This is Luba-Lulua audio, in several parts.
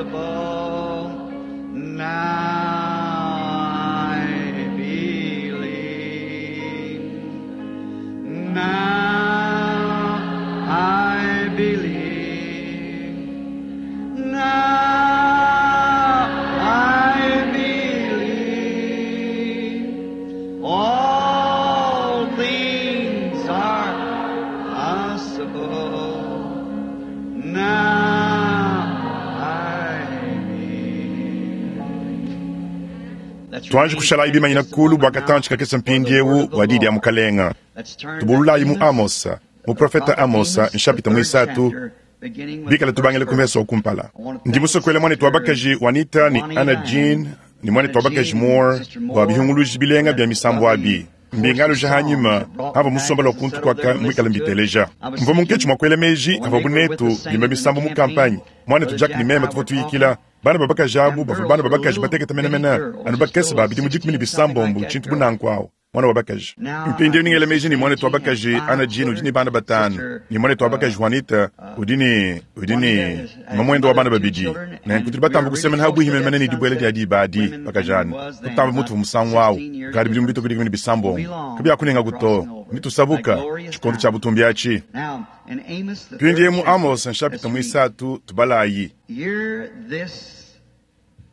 possible. Now I believe. Now I believe. Now I believe. All things are possible. Now I believe. Let's Tuanji kushalayi bimanyina kulu bua katantshi kakese mpindiewu bua diyi dia mukalenga. Let's turn Tubululayi mu to Amos, Amosa, muprofeta Amosa, nshapita muisatu, bikala tubangile ku mvese wa kumpala. Ndi musokola mwanetu wa bakaji Juanita ni Anna Jean ni mwanetu wa bakaji Moore bua bihunguluji bilenga bya misambu abi. Mbingaluja hanyima hava musombela wa kuntu kwaka mwikala mbiteleja. Mvua munketshi mua kuela meji ava bunetu bimba misambu mu kampanyi. Mwanetu Jack ni meme tuvua tuyikila. Bana ba bakaji abu bavua bana ba bakaji batekete menemene anu bakese ba bidimu dikumi ne bisambombo tshintu bunanku awu mwana wa bakaji. Mpindieu ningela meji ni mwanetu wa bakaji Anna Jean udi ne bana batanu ni mwanetu wa bakaji Juanita udi ne udi ne mamuende wa bana babidi. Nenku tudi batamba kusemena habuhi menemene ne dibuela dia diba adi bakajana kutamba mutu musangu awu kadi bidimu bitoko dikumi ne bisambombo kabiakunenga to nitusabuka tshikondo tshia butumbi atshi. Now, in Amos, the third Mpindieu mu chapter, Amos nshapita muisatu tubalayi. hear this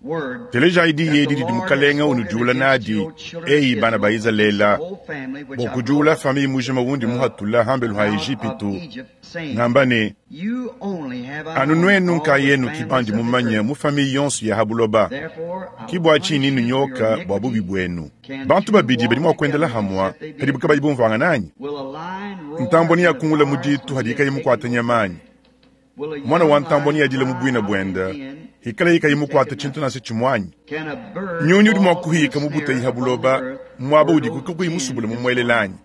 word Telejayi diyi that edi the didi Lord has mukalenga spoken unudiula against nadi your children of eyi bana ba Israel, Izalele the whole family which bua I kudiula brought famille mujima wundi muhatula hambelu ha out of Ejipitu Egypt, saying, ngamba ne You only have I anu known nuenu all the nkayenu families kibandi of the mumanye earth. mu famille yonso ya habuloba Therefore, I will kibua punish tshini you for your nunyoka bua bubi iniquity. buenu. Can Bantu two babidi badi walk mua kuendela together hamwa except they be kadi bukabayi bumvuanga nanyi. Will a lion roar Ntamboni in the yakungula mu forest ditu when hadi he ikayi has mukwata taken no nyamanyi. prey? Will a Mwana young wa ntamboni lion yadila mu cry bwina out in bwenda the den hikala yikayi if mukwata taken tshintu nothing? nase tshimwanyi. Can a bird Nyunyu udi mua fall in a kuhika mu snare buteyi ha upon the buloba earth muaba where udi no kukakuyi den musubule is mumuelelanyi. found?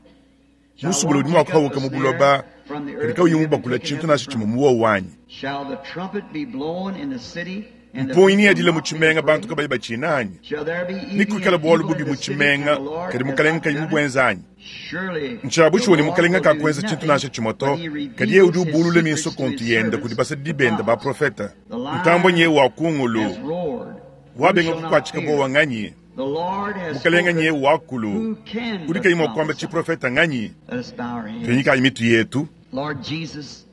Shall Musubule one udi mua take up kuhawuka a mu snare buloba from the kadi earth kauyi and having mubakula taken tshintu nothing nase from tshimue it? muwowu wanyi. Shall the trumpet be blown in the city and the Mpungi people yadila mu not be tshimenga bantu afraid? kabayi batshinanyi. Shall there be even Nikuikala an bualu evil bubi in mu the city and tshimenga the Lord kadi has mukalenga not kayi done it? mubuenzanyi. Surely Ntshiabu the tshiwa ne Lord mukalenga will do kakuenza tshintu nothing nansha tshimue to but he kadi yeye udi reveals his ubulula secrets minso to kontu his yenda kudi servants, basadidi the benda prophets. baprofeta. The Ntambwe lion nyewu wa kungulu has roared. Who wabenga shall not kukwatshika fear? bowa nganyi. The Lord has Mukalenga spoken. nyewu wakulu Who can udi but kayi mua kuamba prophesy? tshiprofeta nganyi. Let us bow our heads. Tunyikayi mitu yetu. Lord Jesus,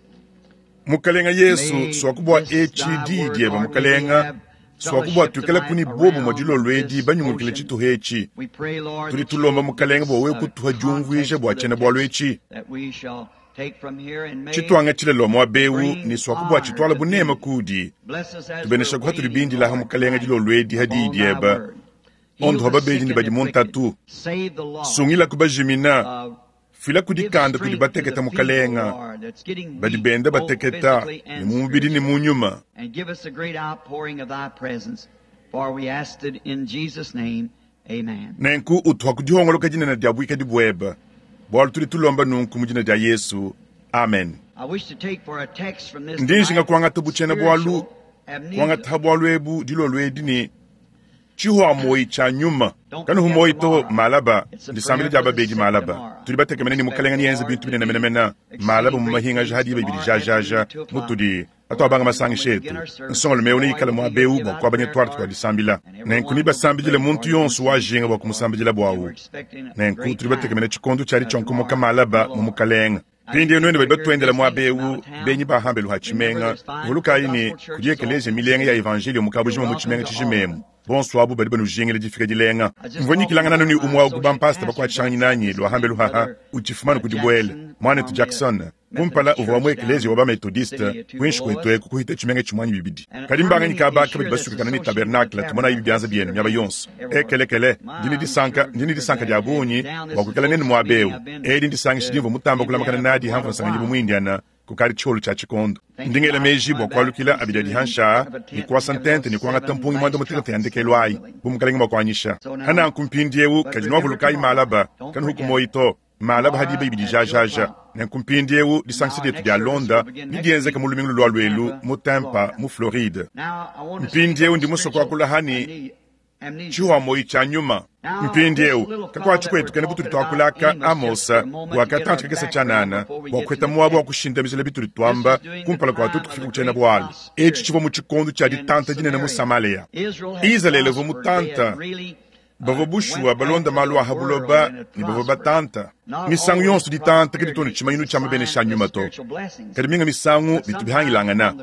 Mukalenga Yesu may swakubwa this etshi thy diyi word, dieba Lord, may we mukalenga have swakubwa fellowship tuikala tonight kuni bobo mwa around dilolo edi this banyungulukile ocean. tshituha etshi. We pray, Lord, Tudi that you tulomba will give mukalenga us bua wewe a kutuha diumvuija context bua for the tshiena bualu text etshi. that we shall take from here and may Tshituangatshile lua muaba ewu bring ne swakubwa honor tshituala to bunema thee. kudi. Bless us as we're Tubenesha kuha tuli waiting, bindilaha Lord, mukalenga tonight dilolo edi hadiyi upon thy dieba. word. Heal Ondoha the babedi sick ne and badi mu afflicted. ntatu. Save the lost. Sungila kubajimina. Fila Give kudikanda kudi strength to the bateketa feeble, mukalenga. Lord, that's getting Badi weak benda both bateketa physically ne and mu mubidi ne spiritually. mu nyuma. And give us a great outpouring of thy presence, for we asked it in Jesus' name. Amen. Nenku utuha kudihongoloka dinene dia buikadi bueba. Bualu tudi tulomba nunku mu dina dia Yesu. Amen. I wish to take for a text from this Ndi njinga tonight, kuangata butshiena bualu spiritual amnesia. kuangata bualu ebu dilolo edi ne tshihua moyi tshia nyuma Don't kanuhu forget moyi to tomorrow. malaba It's a ndisambila prayer dia for the babedi sick malaba tomorrow. tudi batekemene ne Expect mukalenga the niyenze Lord bintu to binene do menemene malaba exceeding mu great mahinga things hadi tomorrow bibidi jajaja afternoon at 2 o'clock. mutudi Lord atuabanga willing, when masangisha we etu begin our service, nsongolo the mewu boy neikala will be muaba here to ewu give bua out kuabanya prayer twarte tua cards, disambila and nenku everyone will be nibasambidile prayed for muntu and yonso interceded wajinga bua for. kumusambidila And we're buawu expecting a nenku great tudi time batekemene tshikondo tshiali tshionkomoka tomorrow in malaba the mu Lord. mukalenga I mpindieu speak nuenu badi right here batuendela listening muaba from ewu out of town. benyi bahambelu ha Remember, tshimenga there's fine vulukayi ne gospel kudi churches all ekelezia over the milenga ya city. evanjelio mu You're kabujima mu welcome tshimenga to all of tshijimemu them. bonso abu badi banujingile difika dilenga I just mvua talked to nyikilangana one nuni of my umwe wa ku associate bampasta pastors bakuatshishangani outside nanyi this lua hambelu evening, haha Brother utshifumanu kudi buele Jackson mwanetu from the Jackson kumpala Methodist uvua wa mu Church ekelezia down wa ba in the methodiste city of kuinshi Tupelo. kwetu eku kuhita tshimenga tshimuanyi bibidi And kadi how mbanganyi many is kaba here kabadi that's basukakana ne associated with the tabernacle tumonayi tabernacle bianza that's bienu here miaba now, yonso everywhere? ekelekele My, ndini I'm disanka sure ndini we're disanka glad dia to have you bungi down. bua This is kuikala nenu close muaba meeting ewu I've been edi ndisangisha to dimvua mutamba kulamakana Indiana nadi for hamvua quite a nsanganyibu while. mu Indiana kukali tshiolo tshia tshikondo Thinking ndingela about meji bua coming back kualukila pretty abidi adi soon, hansha have a ni tent and kuasa have ntente those ni kuangata seven mpungi mwanda last mutekete trumpets, yandekelo Lord ayi willing. bu mukalenga bua kuanyisha So now, hananku mpindiewu but kadi remember nuavulukayi tomorrow, malaba don't kanuhu forget, kumoyi to malaba hadiba tomorrow ibidi at 2 jajaja o'clock. nenku mpindiewu And disangisha our dietu next dia service will londa begin next nidienzeka week mu lumingu lulua in luelu Tampa, mu Tampa Florida. mu Floride Now, I want to speak mpindiewu on ndi musue spiritual kuakula hani amnesia. Tshihua-muoyo tshia nyuma. Mpindieu, kakuatshi kuetu kena butudi tuakula aka Amosa bua katantshi kakese tshianana bua kuheta muaba wa kushindamijila bitudi tuamba kumpala kua tuetu kufika ku tshiena-bualu etshi. Tshivua mu tshikondo tshia ditanta dinene mu Samalea. Izalele uvua mutanta. Bavua bushuwa balonda malu a ha buloba ne bavua batanta. Misangu yonso ditanta kaditu ne tshimanyinu tshia mabenesha a nyuma to, kadi minga misangu bitu bihangilangana.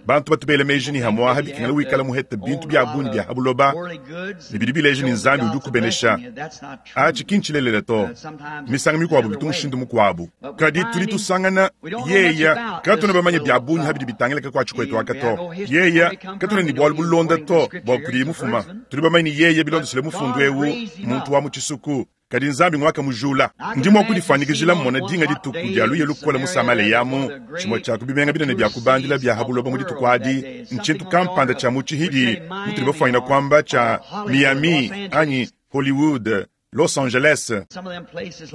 Bantu batu bela meji ne hamuaha bikengela wikala muhete bintu bia bungi bia ha buloba ne bidi bileja ne Nzambi udi ukubenesha. Atshi ki ntshilelela to. Misangu mikuabu bitu mushindu mukuabu. Kadi tudi tusangana yeya katuena bamanye bia bungi ha bidi bitangila kakuatshi kuetu aka to. Yeya katuena ne bualu bulonda to bua kudiye mufuma. Tudi bamanye ne yeye bilondeshile mufundu eu muntu wa mu tshisuku, kadi Nzambi nguakamujula. Ndi mua kudifuanyikijila mmona dinga dituku dia luya lukole mu Samalea mu tshimue tshia ku bimenga binene bia kubandila bia ha buloba mu dituku adi, ntshintu kampanda tshia mu tshihidi mutudi bafuanyina kuamba tshia Miami anyi Hollywood, Los Angeles,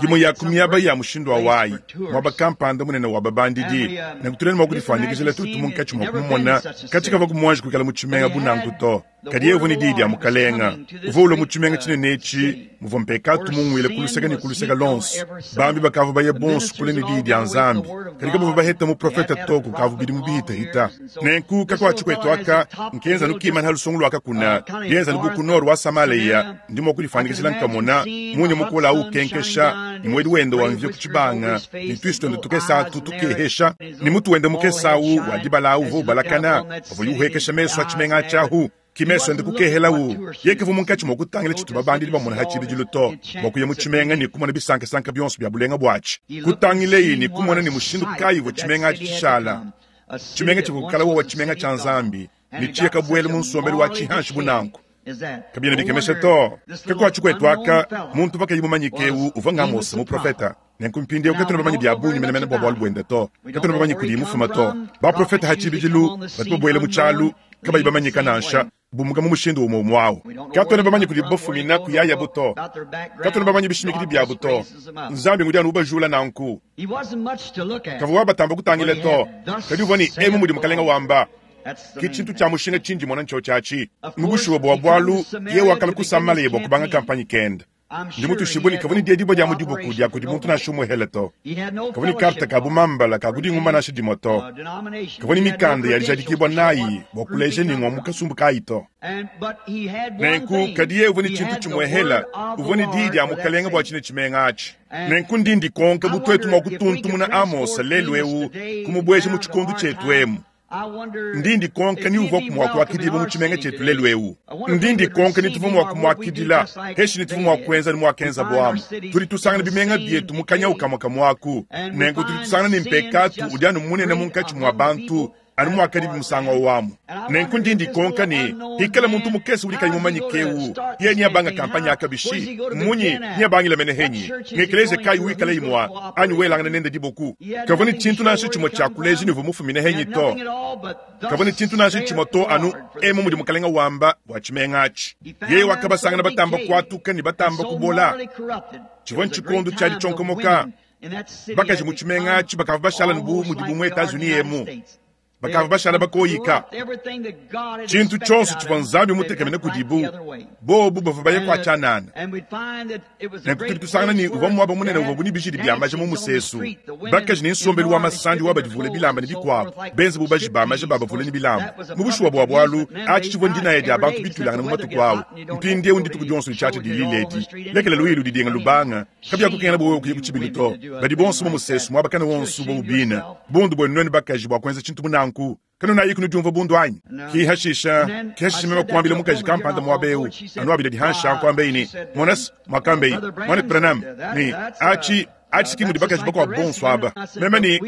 imue ya ku miaba ya mushindu wa wayi, muaba kampanda munene wa babandidi. Nenku tudi mua kudifuanyikijila tuetu munkatshi mua kumumona katshi kavua kumuanji kuikala mu tshimenga bu nanku to. Kadi yeye uvua ne diyi dia Mukalenga. Uvua ulua mu tshimenga tshinene etshi muvua mpekatu munguile ku luseke ne ku luseke luonso. Bambi bakavua baya bonso kule ne diyi dia Nzambi, kadi kabavua baheta muprofete to kukavua bidimu bihitahita. Nenku kakuatshi kuetu aka nkenza anu kimana ha lusongo lua kakuna, bienza anu bu ku nord wa Samalea. Ndi mua kudifuanyikijila nkamona munya mukole au ukenkesha, ne muedi wende wa mvia ku tshibanga, ne tuisu tuende tukese atu tukehesha, ne mutu wende mukese au wa dibala au uvua ubalakana pavuaye uhuekesha mesu a tshimenga atshi ahu. Ki mesu ende kukehelau. Yeye kavua munkatshi mua kutangila tshitu babandidi bamona ha tshibidilu to, bua kuya mu tshimenga ne kumona bisankasanka bionso bia bulenga buatshi. Kutangileyi ne kumona ne mushindu kayi uvua tshimenga atshi tshishala, tshimenga tshivua kukala wowa tshimenga tshia Nzambi, ne tshiye kabuela mu nsombelu wa tshihanshi bu nanku. Kabiena bikemesha to. Kakuatshi kuetu aka, muntu pakayi mumanyike eu uvua ng'Amosa muprofeta. Nenku mpindieu katuena bamanye bia bungi menemene bua bualu buende to. Katuena bamanye kudiye mufuma to. Baprofete ha tshibidilu batu babuela mu tshialu kabayi bamanyika nansha, bumuka mu mushindu umue umue au. Katuena bamanye kudibu bafumina kuyayabu to. Katuena bamanye bishimikidi biabu to. Nzambi ngudi anu ubajula nanku. Kavua wabatamba kutangila to, kadi uvua ne emu mudi Mukalenga wamba. Ke tshintu tshia mushinga tshindi mona ntshiotshi atshi. Mu bushuwa bua bualu, yeye wakalua ku Samalea bua kubanga kampanye kende. Ndi mutuishibue ne kavua ne diedibua dia mu dibuku dia kudi muntu nansha umue hele to. Kavua ne karte ka bumambala ka kudinguma nansha dimue to. Kavua ne mikanda ya dijadikibua nayi bua kuleja ne ngua mu kasumbu kayi to. Nenku, kadi yeye uvua ne tshintu tshimue hela, uvua ne diyi dia Mukalenge bua tshine tshimenga atshi. Nenku ndi ndikonka bu tuetu mua kutuntumuna Amosa lelu eu kumubueja mu tshikondo tshietu emu. Ndi ndikonka ni uvuaku mua kuakidibua mu tshimenga tshietu lelu eu. Ndi ndikonka ni tuvua mua kumuakidila, peshi ni tuvua mua kuenza ne muakenzabu amu. Tudi tusangana bimenga bietu mu kanyawu kamue kamue aku. Nenku tudi tusangana ne mpekatu udi anu munene munkatshi mua bantu, anu muakadibi musangu au amu. Nenku ndi ndikonka ne, hikala muntu mukese udi kayi mumanyike eu, yeye neabanga kampanye aka bishi? Mmunyi? Neabangile mene henyi? Ng'ekeleziya kayi wikalayi mua anyi welangana nende diboku? Kavua ne tshintu nansha tshimue tshia kuleja ne uvua mufumine henyi to. Kavua ne tshintu nansha tshimue to anu emu mudi Mukalenga wamba bua tshimenga atshi. Yeye wakabasangana batamba kuatuka ne batamba kubola. Tshivua ntshikondo tshia ditshionkomoka. Bakaji mu tshimenga atshi bakavua bashala ne bu mudibu mu Etats-Unis emu. Bakavua bashala bakoyika. Tshintu tshionso tshivua Nzambi mutekemene kudibu, bobu bavua baya kua tshianana. Nenku tudi tusangana ne, uvua muaba munene uvuabu ne bijidi bia maja mu musesu, bakaji ne nsombelu wa masandi wa badivule bilamba ne bikuabu, benze bu baji ba maja babavule ne bilamba. Mu bushuwa bua bualu, atshi tshivua ndinaya dia bantu bituilangana mu matuku au. Mpindieu ndituku dionso ditshiatshia dilila edi. Lekela luiyi ludidinga lubanga. Kabiakukengela bua wewe kuya ku tshibilu to. Badi bonso mu musesu muaba kana wonso bobu bine. Bundu buenu nuenu bakaji bua kuenza tshintu bu nanku. Kanunayiku nudiumvua bundu anyi? Ki hashisha, ki hashisha meme kuambila mukaji kampanda muaba eu, anu abila dihansha kuambeyi ne, Monas, muakambeyi, Muanetu Branham, ne, atshi, atshi ki mudi bakaji bakuabu bonso aba. Meme ne,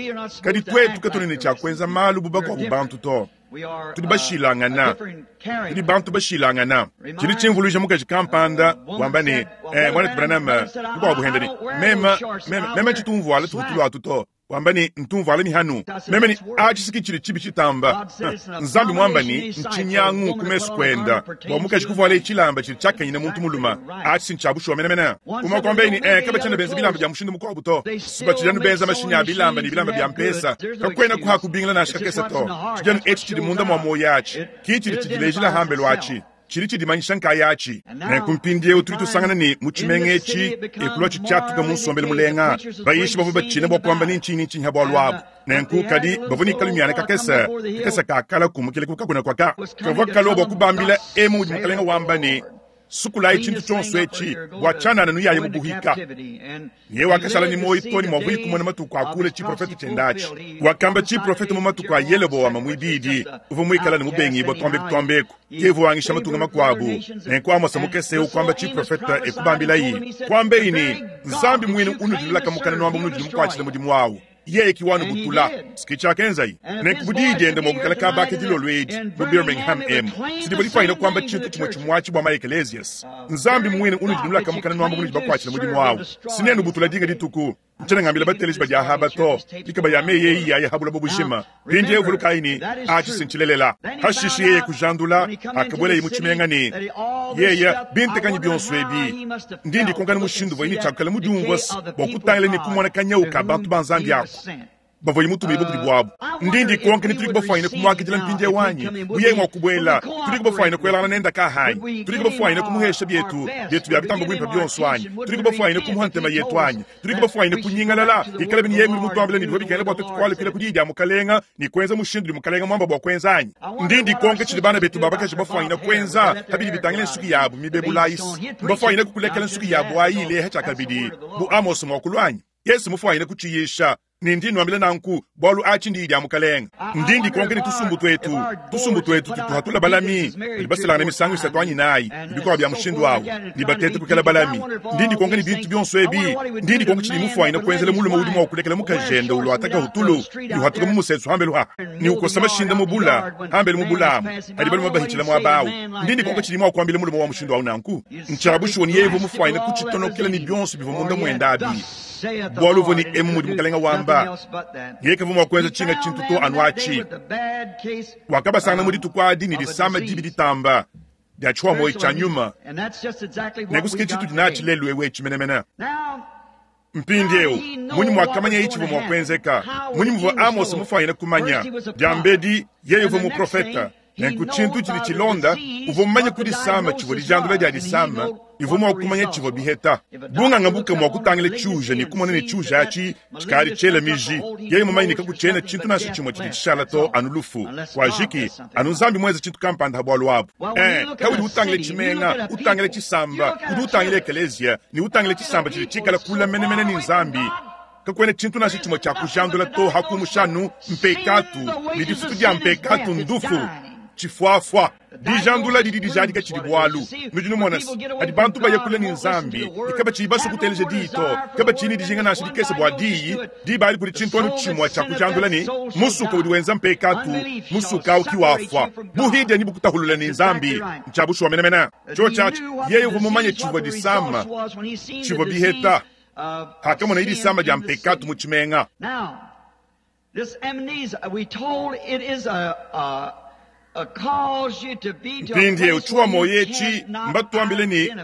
Kadi tuetu katuena ne tshia kuenza malu bu bakuabu bantu to. Tudi bashilangana, tudi bantu bashilangana. Tshidi tshimvuluija mukaji kampanda wamba ne, eh, Muanetu Branham, mukuabu hende ne, meme, meme, meme tshitu mvuala tuvutulu atu to. Wamba ne, ntu mvuala mihanu. Meme ne, atshi ki tshidi tshibi tshitamba. Nzambi muamba ne, ntshinyangu ku mesu kuenda bua mukaji kuvualaye tshilamba tshidi tshiakanyine muntu mulume. Atshi si ntshia bushuwa menemene. Umue kuambaye ne, eh, kabatshiena benza bilamba bia mushindu mukuabu to. Batshidi anu benza mashinyi a bilamba ne bilamba bia mpesa. Kakuena kuha kubingila nansha kakese to. Tshidi anu etshi tshidi munda mua muoyo atshi, ki tshidi tshidilejila hambelu atshi. Tshidi tshidimanyisha nkayatshi. Nenku mpindieu tudi tusangana ne, mu tshimenga etshi, e kuluatshi tshiatuka mu nsombelu mulenga. Bayishi bavua batshina bua kuamba ni ntshinyi ni ntshinyi ha bualu abu. Nenku, kadi bavua ne kalumiana kakese, kakese ka kala kumukila ku kakuna kuaka, kavua kalua bua kubambila emu mudi Mukalenga wamba ne, Sukulayi tshintu tshionso etshi, bua tshianana nuyaye mu buhika. Yeye wakashala ne muoyo too ne muavuaye kumona matuku a kule tshiprofete tshiende atshi. Wakamba tshiprofete mu matuku a Yelobowama muibidi, uvua muikale ne mubengibua tuambeku tuambeku, ke uvua wangisha matunga makuabu. Nenku Amosa mukese eu kuamba tshiprofete e kubambilayi, kuambeyi ne, Nzambi muine unudi nulaka mukana nuamba munudi numukuatshila mudimu awu, yeye ki wanubutula. Ke tshiakenzaye. Nenku bu diyi diende mua kuikala kaba aka dilolo edi mu Birmingham emu, sidivua difwanyine kuamba tshintu tshimue tshimue atshi bua ma-ekelezias. Nzambi muine unudi nulaka mukana nuamba munudi bakuatshila mudimu awu, sinenubutula dinga dituku. Ntshiena ngambila bateleji badi aha to, mikaba ya meyi eyi yaya ha buloba bujima. Mpindieu vulukayi ne, atshi si ntshilelela. Hashishe yeye kujandula, hakabuelaye mu tshimenga ne, Yeye, bintekanyi bionso ebi, ndi ndikonkana mushindu uvuaye ne tshiakukala mudiumvue bua kutangila ne kumona kanyawu ka bantu ba Nzambi aku bavuaye mutumibue kudi buabu. Ndi ndikonka ne tudiku bafuanyine kumuakidila mpindieu anyi? Bu yeye mua kubuela, tudiku bafuanyine kuelangana nende kaha anyi? Tudiku bafuanyine kumuhesha bietu bietu bia bitamba buimpe bionso anyi? Tudiku bafuanyine kumuha ntema yetu anyi? Tudiku bafuanyine kunyingalala ikalabi ne yeye ngudi mutuambile ne bivua bikengela bua tuetu kualukila ku diyi dia Mukalenga ne kuenza mushindu udi Mukalenga muamba bua kuenza anyi? Ndi ndikonka tshidi bana betu ba bakaji bafuanyine kuenza pa bidi bitangila nsuki yabu mibebula ayi. Mbafuanyine kukulekela nsuki yabu ayi ileha tshiakabidi bu Amose muakulu anyi? Yesu mufuanyine kutshiyisha. Ne ndi nnuambila nanku, bualu atshi ndiyi dia Mukalenga. Ndi ndikonka ne tusumbu tuetu, tusumbu tuetu tutu tuhatula balami badi baselangana misangu isatu anyi inayi, ne bikuabu bia mushindu awu, ne bateta kuikala balami. Ndi ndikonka ne bintu bionso ebi, ndi ndikonka tshidi mufuanyine kuenzela mulume udi mua kulekela mukajende uluata kahutulu ne uhatuka mu musesu hambelu ha, ne ukosa mashinda mu bula hambelu mu bula amu hadi balume bahitshila muaba awu. Ndi ndikonka tshidi mua kuambila mulume wa mushindu awu nanku. Ntshia bushuwa ne yeye uvua mufuanyine kutshitonokela ne bionso bivua munda muende abi. Bualu uvua ne emu mudi Mukalenga wamba, yeye kavua mua kuenza tshinga tshintu to anu atshi. Wakabasangana mu dituku adi ne disama dibi ditamba dia tshihuamoyi tshia nyuma. Nenku ke tshitudi natshi lelu eu etshi menemene. Mpindieu, munyi muakamanyaye tshivua mua kuenzeka? Munyi muvua Amose mufuanyine kumanya? Diambedi, yeye uvua muprofete. Nenku tshintu tshidi tshilonda, uvua mumanye ku disama tshivua dijandula dia disama, ne uvua mua kumanya tshivua biheta. Bunganga buka mua kutangila tshiuja ne kumona ne tshiuja atshi tshikadi tshiela miji, yeye mumanye ne kakutshiena tshintu nansha tshimue tshidi tshishala to anu lufu. Kuajiki, anu Nzambi muenze tshintu kampanda ha bualu abu. Ee, kaudi utangila tshimenga, utangila tshisamba, udi utangila ekeleziya, ne utangila tshisamba tshidi tshikala kule menemene ne Nzambi. Kakuena tshintu nansha tshimue tshia kujandula to ha kumusha anu mpekatu, ne difutu dia mpekatu ndufu, tshifuafua. Dijandula didi dijadika tshidi bualu. Nudi numona se, padi bantu baya kule ne Nzambi ne kabatshiyi basue kuteleja Diyi to, kabatshiyi ne dijinga nansha dikese bua Diyi, diba adi kudi tshintu anu tshimue tshia kujandula ne, musuka udi wenza mpekatu, musuka au ki wafua. Buhidia ne bukutahulula ne Nzambi. Ntshia bushuwa menemene. Tshiotshi atshi, yeye uvua mumanye tshivua disama, tshivua biheta. Pakamonaye disama dia mpekatu mu tshimenga. Mpindieu tshiwa muoyo etshi mbatuambile ne,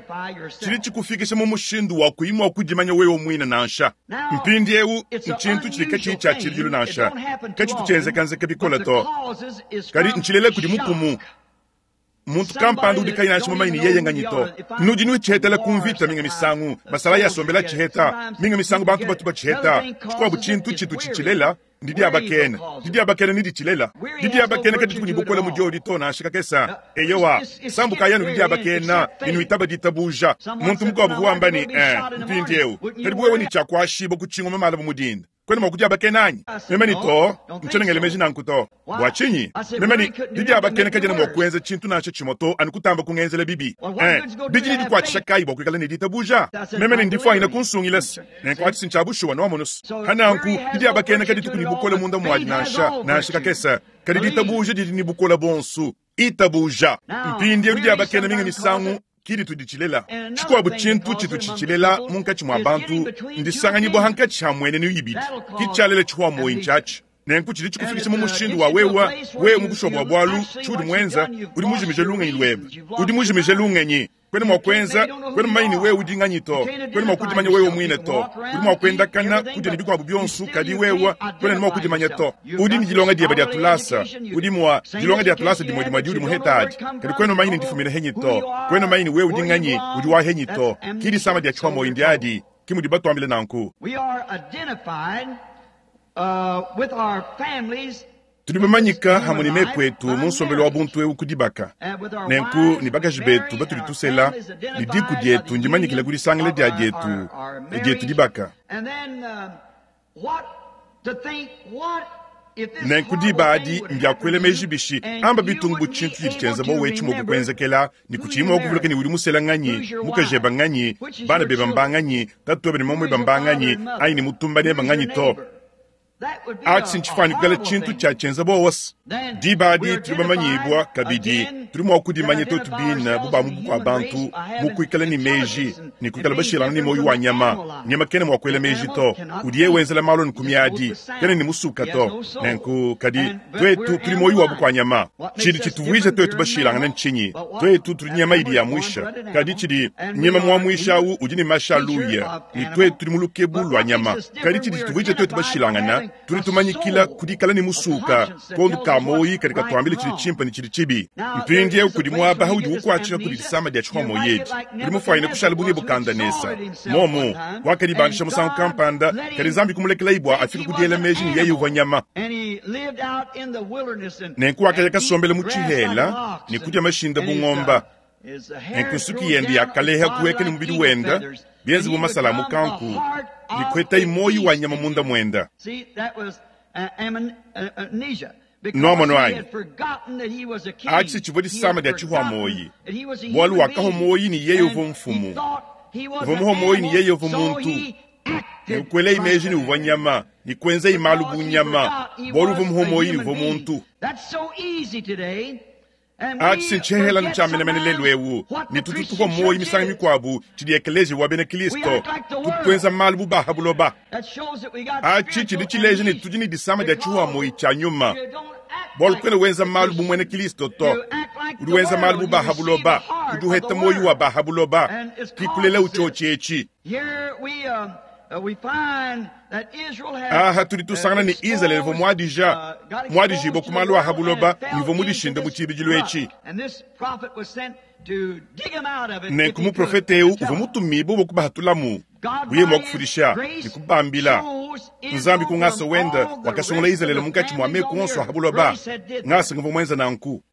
tshidi tshikufikisha mu mushindu wa kuyi mua kudimanya wewe muine nansha. Mpindieu ntshintu tshidi katshiyi tshia tshibidilu nansha, katshitu tshienzekanzeka bikole to, kadi ntshilela kudi mukumu. Muntu kampanda udi kayi nansha mumanye ne yeye nganyi to. Nudi nutshihetela ku mvita minga misangu, masalayi asombela tshiheta, minga misangu bantu batu batshiheta. Tshikuabu tshintu tshitu tshitshilela ndidiabakena. Didiabakena ne ditshilela. Didiabakena kadituku ne bukole mu diodi to nansha kakesa. Eyowa, sambukayi anu didiabakena ne nuitaba ditabuja. Muntu mukuabu uvua wamba ne, Eh, mpindieu, kadi bu wewe ne tshia kuashibua ku tshingoma malaba mu dinda, Kuena mua kudiabakena anyi? Meme ne, To, ntshiena ngela meji nanku to. Bua tshinyi? Meme ne, Didiabakena kadiena mua kuenza tshintu nansha tshimue to, anu kutamba kungenzela bibi. Eh, bidi ne dikuatshisha kayi bua kuikala ne ditabuja? Meme ne, Ndifuanyine kunsungila se, nenku atshi si ntshia bushuwa, nwamonu se. Pa nanku, didiabakena kadituku ne bukole munda muadi nansha, nansha kakese. Kadi ditabuja didi ne bukole buonso. Itabuja. Mpindieu didiabakena minga misangu ki ditu ditshilela. Tshikuabu tshintu tshitu tshitshilela munkatshi mua bantu ndisanganyibua hankatshi ha muenenu ibidi. Ki tshialela tshihua muoyi ntshiatshi. Nenku tshidi tshikufikisha mu mushindu wa wewe, wewe mu bushuwa bua bualu, tshiudi muenza, udi mujimije lungenyi luebe. Udi mujimije lungenyi. Kuena mua kuenza, kuena mumanye ne wewe udi nganyi to. Kuena mua kudimanya wewe muine to. Udi mua kuendakana, kudia ne bikuabu bionso, kadi wewe kuena ne mua kudimanya to. Udi ne dilonga diebe dia tulasa, udi mua dilonga dia tulasa dimue dimue diudi muheta adi, kadi kuena mumanye ne ndifumine henyi to. Kuena mumanye ne wewe udi nganyi, udi wa henyi to. Ki disama dia tshihua-muoyo ndiadi, ki mudi batuambile nanku. We are identified with our families. Tudi bamanyika hamwe ne meku etu mu nsombelu wa buntu eu ku dibaka. Nenku ne bakaji betu batudi tusela, ne diku dietu ndimanyikile ku disangila dia dietu, dietu dibaka. Nenku diba adi mbia kuela meji bishi, amba bitungu bu tshintu tshidi tshienza bowa etshi mua kukuenzekela, ne kutshiyi mua kuvuluka ne udi musela nganyi, mukaji eba nganyi, bana beba mbanganyi, tatu webe ne mamu webe mbanganyi, anyi ne mutumba neba nganyi to. Atshi ntshifuane kuikala tshintu tshia tshienza buowa. Diba adi tudi bamanyibua kabidi, tudi mua kudimanya tuetu bine bu ba mu bukua-bantu mu kuikala ne meji ne kuikala bashilangane ne muoyo wa nyama. Nyama kena mua kuela meji to, udiye wenzela malu anu ku miadi, kena ne musuka to. Nenku, kadi tuetu tudi muoyo wa bukua-nyama. Tshidi tshituvuija tuetu bashilangane ntshinyi? Tuetu tudi nyama idi yamuisha, kadi tshidi nyama muamuisha au udi ne mashi a luya, ne tuetu tudi mu lukebu lua nyama. Kadi tshidi tshituvuija tuetu bashilangane, tudi tumanyikila ku dikala ne musuka, kondo ka muoyo kadi katuambila tshidi tshimpe ne tshidi tshibi. Mpindieu kudi muaba udi ukuatshika kudi disama dia tshihua-muoyo edi. Udi mufuanyine kushala bu Nebukadanesa. Momu, wakadibandisha musangu kampanda, kadi Nzambi kumulekelayi bua afike ku diela meji ne yeye uvua nyama. Nenku wakaya kasombela mu tshihela ne kudia mashinda bu ngomba. Nenku nsuki yende yakaleha kuweka ne mubidi wende, bienze bu masala a mukanku, ne kuetayi muoyo wa nyama munda muende. Nuamono anyi? Atshi tshivua disama dia tshihua-muoyi, bualu wakahua muoyi ne yeye uvua mfumu. Uvua muhua muoyi ne yeye uvua muntu. Ne kuelayi meji ne uvua nyama, ne kuenzayi malu bu nyama, bualu uvua muhua muoyi ne uvua muntu. Atshi ntshihela tshia menemene lelu eu, ne tutu tupua muoyo misangu mikuabu tshidi ekeleziya wa bena Kristo, tutu tuenza malu bu ba ha buloba. Atshi tshidi tshileja ne tudi ne disama dia tshihua-muoyo tshia nyuma, bualu kuena wenza malu bu muena Kristo to, udi wenza malu bu ba ha buloba, udi uheta muoyo wa ba ha buloba, ki kulela utshiotshi etshi. Aha tudi tusangana ne Izalele uvua muadija, muadijibua ku malu a ha buloba ne uvua mudishinde mu tshibidilu etshi. Nenku muprofete eu uvua mutumibue bua kubahatulamu, buye mua kufudisha ne kubambila. Nzambi ku ngasa wende wakasungula Izalele munkatshi mua meku onso a ha buloba. Ngasa nguvua muenza nanku.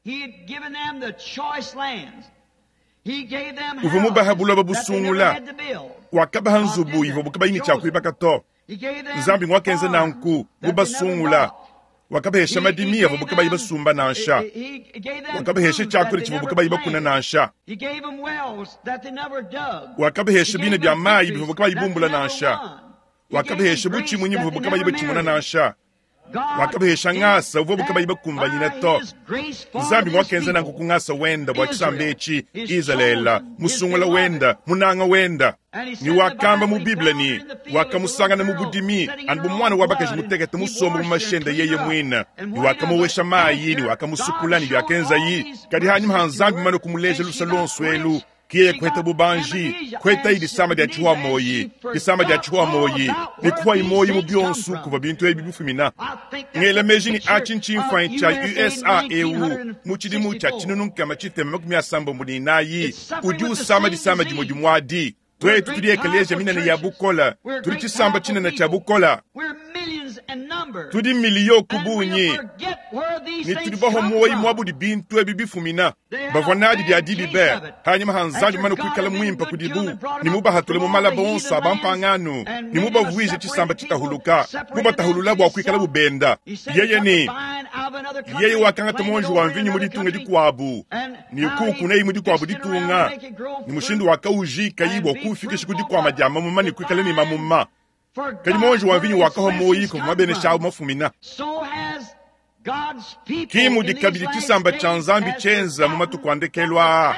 Uvua mubaha buloba busungula, wakabaha nzubu ivuabu kabayi ne tshia kuibaka to. Nzambi nguakenza nanku, mubasungula. Wakabahesha madimi avuabu kabayi basumba nansha. Wakabahesha tshiakudia tshivuabu kabayi bakuna nansha. Wakabahesha bina bia mayi bivuabu kabayi bumbula nansha. Wakabahesha butshimunyi buvuabu kabayi batshimuna nansha. Wakabahesha ngasa uvuabu kabayi bakumbanyina to. Nzambi nguakenza nanku ku ngasa wenda bua tshisamba etshi, Izalele, musungula wenda, munanga wenda. Ne wakamba mu Bible ne, wakamusangana mu budimi, anu bu muana wa bakaji mutekete musombe mu mashende yeye muine, ne wakamowesha mayi, ne wakamusukula, ne biakenzayi. Kadi hanyima ha Nzambi mumane kumuleja luse luonso elu, ki yeye kuheta bubanji, kuhetayi disama dia tshihua-muoyi, disama dia tshihua-muoyi, ne kuhuayi muoyi mu bionso kuvua bintu ebi bifumina. Ngela meji ne atshi ntshimfuanyi tshia USA eu mu tshidimu tshia 1964 udi usama disama dimue dimue adi. Tuetu tudi ekeleziya minene ya bukole, tudi tshisamba tshinene tshia bukole, tudi miliyo ku bungi, ne tudi bahua muoyo muabudi bintu ebi bifumina. Bavua nadi dia dibi be, hanyima ha Nzambi mane kuikala muimpe kudibu, ne mubahatule mu malaba onso a bampangano, ne mubavuije tshisamba tshitahuluka, mubatahulula bua kuikala bubenda. Yeye ne yeye wakangata muonji wa mvinyo mu ditunga dikuabu, ne kuukunayi mu dikuabu ditunga, ne mushindu wakaujikayi bua kuufikisha ku dikuama dia mamuma ne kuikala ne mamuma. Kadi muonji wa mvinyo wakahua muoyo kuvua mabenesha awu mafumina. Ki mudi kabidi tshisamba tshia Nzambi tshienza mu matuku a ndekelu aa.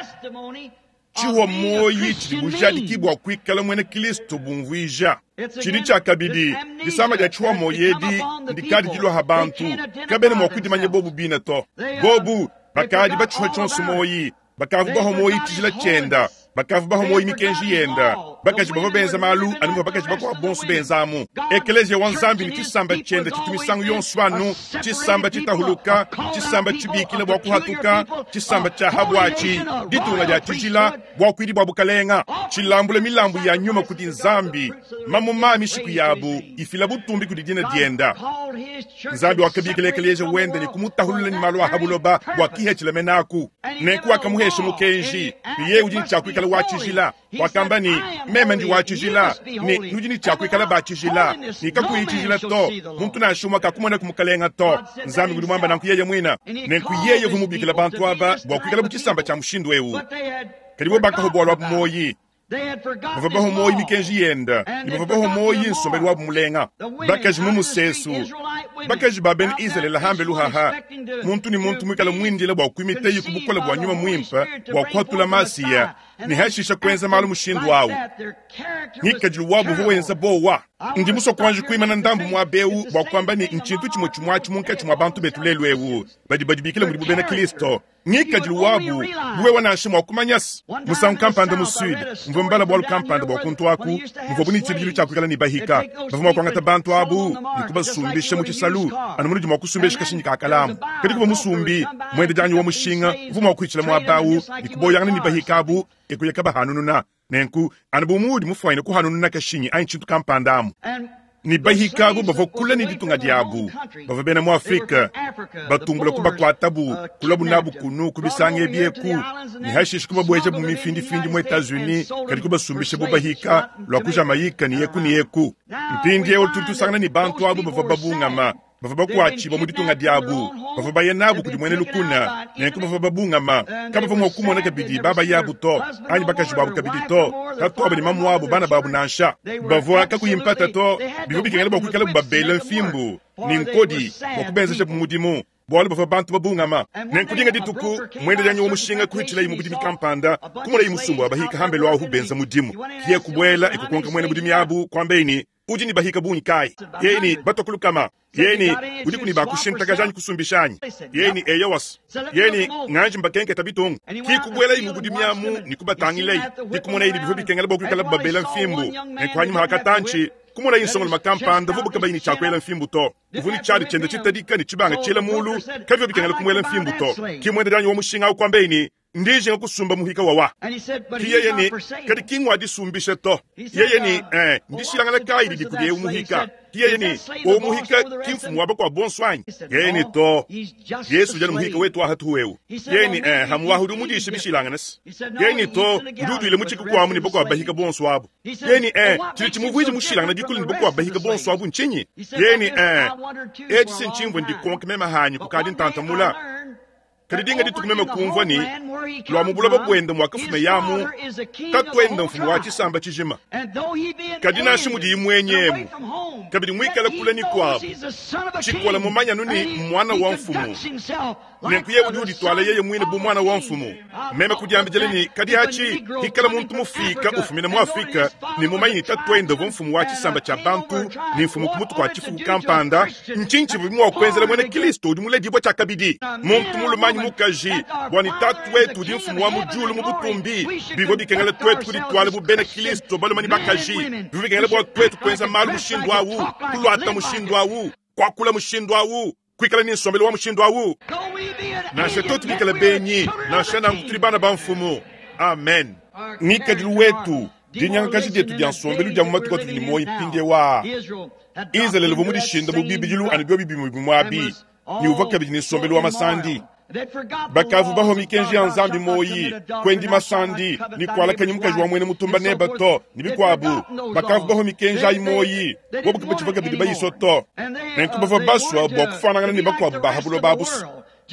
Tshihua muoyi tshidi bujadiki bua kuikala muena Kristo bumvuija. Tshidi tshia kabidi, disama dia tshihua muoyi edi ndikadi diluaha bantu, kabena mua kudimanya bobu bine to. Bobu bakadi batshihua tshionso muoyi, bakavu baho muoyi tshijila tshienda, bakavu baho muoyi mikenji yenda, bakaji bavua benza malu anu muvua bakaji bakuabu bonso benzamu. Ekeleziya wa Nzambi ne tshisamba tshienda tshitu misangu yonso anu tshisamba tshitahuluka, tshisamba tshibikila bua kuhatuka, tshisamba tshia habuatshi, ditunga dia tshijila, buakuidi bua bukalenga, tshilambula milambu ya nyuma kudi Nzambi, mamuma a mishiku yabu ifila butumbi kudi dina dienda. Nzambi wakabikila ekeleziya wenda ne kumutahulula ne malu a habuloba bua kihetshila menaku. Nenku wakamuhesha mukenji ne yeye udi ne tshia kuikala wa tshijila. Wakamba ne, meme ndi wa tshijila, ne nudi ne tshia kuikala ba tshijila, ne kakuyi tshijila to, muntu nansha umue kakumona ku mukalenga to. Nzambi udi muamba nanku yeye muina. Nenku yeye uvua mubikila bantu aba bua kuikala bu tshisamba tshia mushindu eu. Kadi bo bakaho bualu abu muoyi. Bavua baho muoyi mikenji yenda, ne bavua baho muoyi nsombelu wabu mulenga. Bakaji mu musesu, bakaji ba bena Izalele hambe luhaha, muntu ne muntu muikala muindila bua kuimita ku bukole bua nyuma muimpe bua kuhatula Masiya, ne hashisha kuenza malu mushindu awu. Ngikadilu wabu uvua wenza bowa. Ndi musue kuanji kuimana ndambu muaba eu bua kuamba ne ntshintu tshimue tshimuatshi munkatshi mua bantu betu lelu eu badi badibikila mudibu bena Kristo. Ngikadilu wabu wewe nansha mua kumanya se. Musangu kampanda mu Sud, mvua mbala bualu kampanda bua kuntu aku, muvuabu ne tshibidilu tshia kuikala ne bahika. Bavua mua kuangata bantu abu ne kubasumbisha mu tshisalu, anu munudi mua kusumbisha kashinyi ka kalamu. Kadi kuvua musumbi, muendejanyi wa mushinga, uvua mua kuitshila muaba awu ne kuboyangana ne bahika abu, e kuya kabahanununa. Nenku, anu bu muudi mufuanyine kuhanununa kashinyi anyi tshintu kampanda amu. Ne bahika abu bavua kule ne ditunga diabu, bavua bena mu Afrika, batumbula kubakuatabu, kulabu nabu kunu ku bisanga ebi eku, ne hashishe kubabuejabu mu mifindifindi mu Etats-Unis, kadi kubasumbisha bu bahika lua ku Jamaïque ne eku ne eku. Mpindieu tudi tusangana ne bantu abu bavua babungama, bavua bakuatshibua mu ditunga diabu, bavua baya nabu kudi muena lukuna, nenku bavua babungama, kabavua mua kumona kabidi babayabu to, anyi bakaji babu kabidi to, tatuabu ne mamuabu, bana babu nansha. Bavua kakuyi mpata to, bivua bikengela bua kuikala babela mfimbu ne nkodi bua kubenzeja mudimu, bualu bavua bantu babungama. Nenku dinga dituku, muendejanyi wa mushinga kuhitshilayi mu budimi kampanda, kumonayi musumba wa bahika hambelu ahu benza mudimu. Kiye kubuela ekukonka muena budimi abu, kuambeyi ne, udi ne bahika bungi kayi? Yeye ne, batua ku lukama. Yeye ne, udiku ne bakushintakaja anyi kusumbisha anyi? Yeye ne, eyowas. Yeye ne, nganji mbakenketa bitungu. Ki kubuelayi mu budimi amu ne kubatangilayi, dikumonayi ne bivua bikengela bua kuikala babela mfimbu. Nenku hanyima hakatantshi, kumonayi nsongoloma kampanda vubu kabayi ne tshia kuela mfimbu to. Uvua ne tshiadi tshienda tshitadika ne tshibanga tshiela mulu, kabivua bikengela kumuela mfimbu to. Ki muendejanyi wa mushinga awu kuambeyi ne, ndijinga kusumba muhika wawa. Ki yeye ne, kadi ki ngua disumbisha to. Yeye ne, ndishilangana kayi didi kudi eu muhika? Ki yeye ne, o muhika ki mfumu wa bakuabu bonso anyi? Yeye ne, to. Yesu udi muhika wetu wa hatuhu eu. Yeye ne, hamuwahu udi umudisha bishilangana se. Yeye ne, to, udi utuile mu tshikukuamu ne bakuabu bahika bonso abu. Yeye ne, tshidi tshimuvuija mushilangana bikole ne bakuabu bahika bonso abu ntshinyi? Yeye ne, etshi si ntshimvua ndikonka meme hanyi kukadi ntantamula. Kadi dinga dituku meme kumvua ne, lua mu buloba buende muakafume yamu, tatuende mfumu wa tshisamba tshijima. Kadi nansha mudiyi muenyemu, kabidi muikala kule ne kuabu, tshikola mumanyanu ne mwana wa mfumu. Nenku yeye udi udituala yeye muine bu mwana wa mfumu. Meme kudiambidila ne, kadi atshi hikala muntu mufika ufumina mu Afrika ne mumanyi ne tatuende uvua mfumu wa tshisamba tshia bantu ne mfumu ku mutu kua tshifuku kampanda, ntshinyi tshivua mua kuenzela muena Kristo udi muledibue tshiakabidi, muntu mulume anyi mukaji, bua ne tatu wetu udi mfumu wa mu diulu mu butumbi? Bivua bikengela tuetu kudituala bu bena Kristo balume ne bakaji. Bivua bikengela bua tuetu kuenza malu mushindu awu, kuluata mushindu awu, kuakula mushindu awu, kuikala ne nsombelu wa mushindu awu. Nansha tuetu bikale benyi, nansha nanku tudi bana ba mfumu. Amen. Ngikadilu wetu, dinyangakaji dietu dia nsombelu dia mu matuku atudi ne muoyo mpindieu aa. Izalele uvua mudishinda mu bibidilu anu biobi bimue bimue abi, ne uvua kabidi ne nsombelu wa masandi. Bakavu baho mikenji ya Nzambi moyi, kuendi masandi, ne kualakanyi mukaji wa muena mutumba neba to, ne bikuabu. Bakavu baho mikenji ayi moyi, bobu kabatshivua kabidi bayiso to. Nenku bavua basua bua kufuanangana ne bakuabu ba ha buloba abu.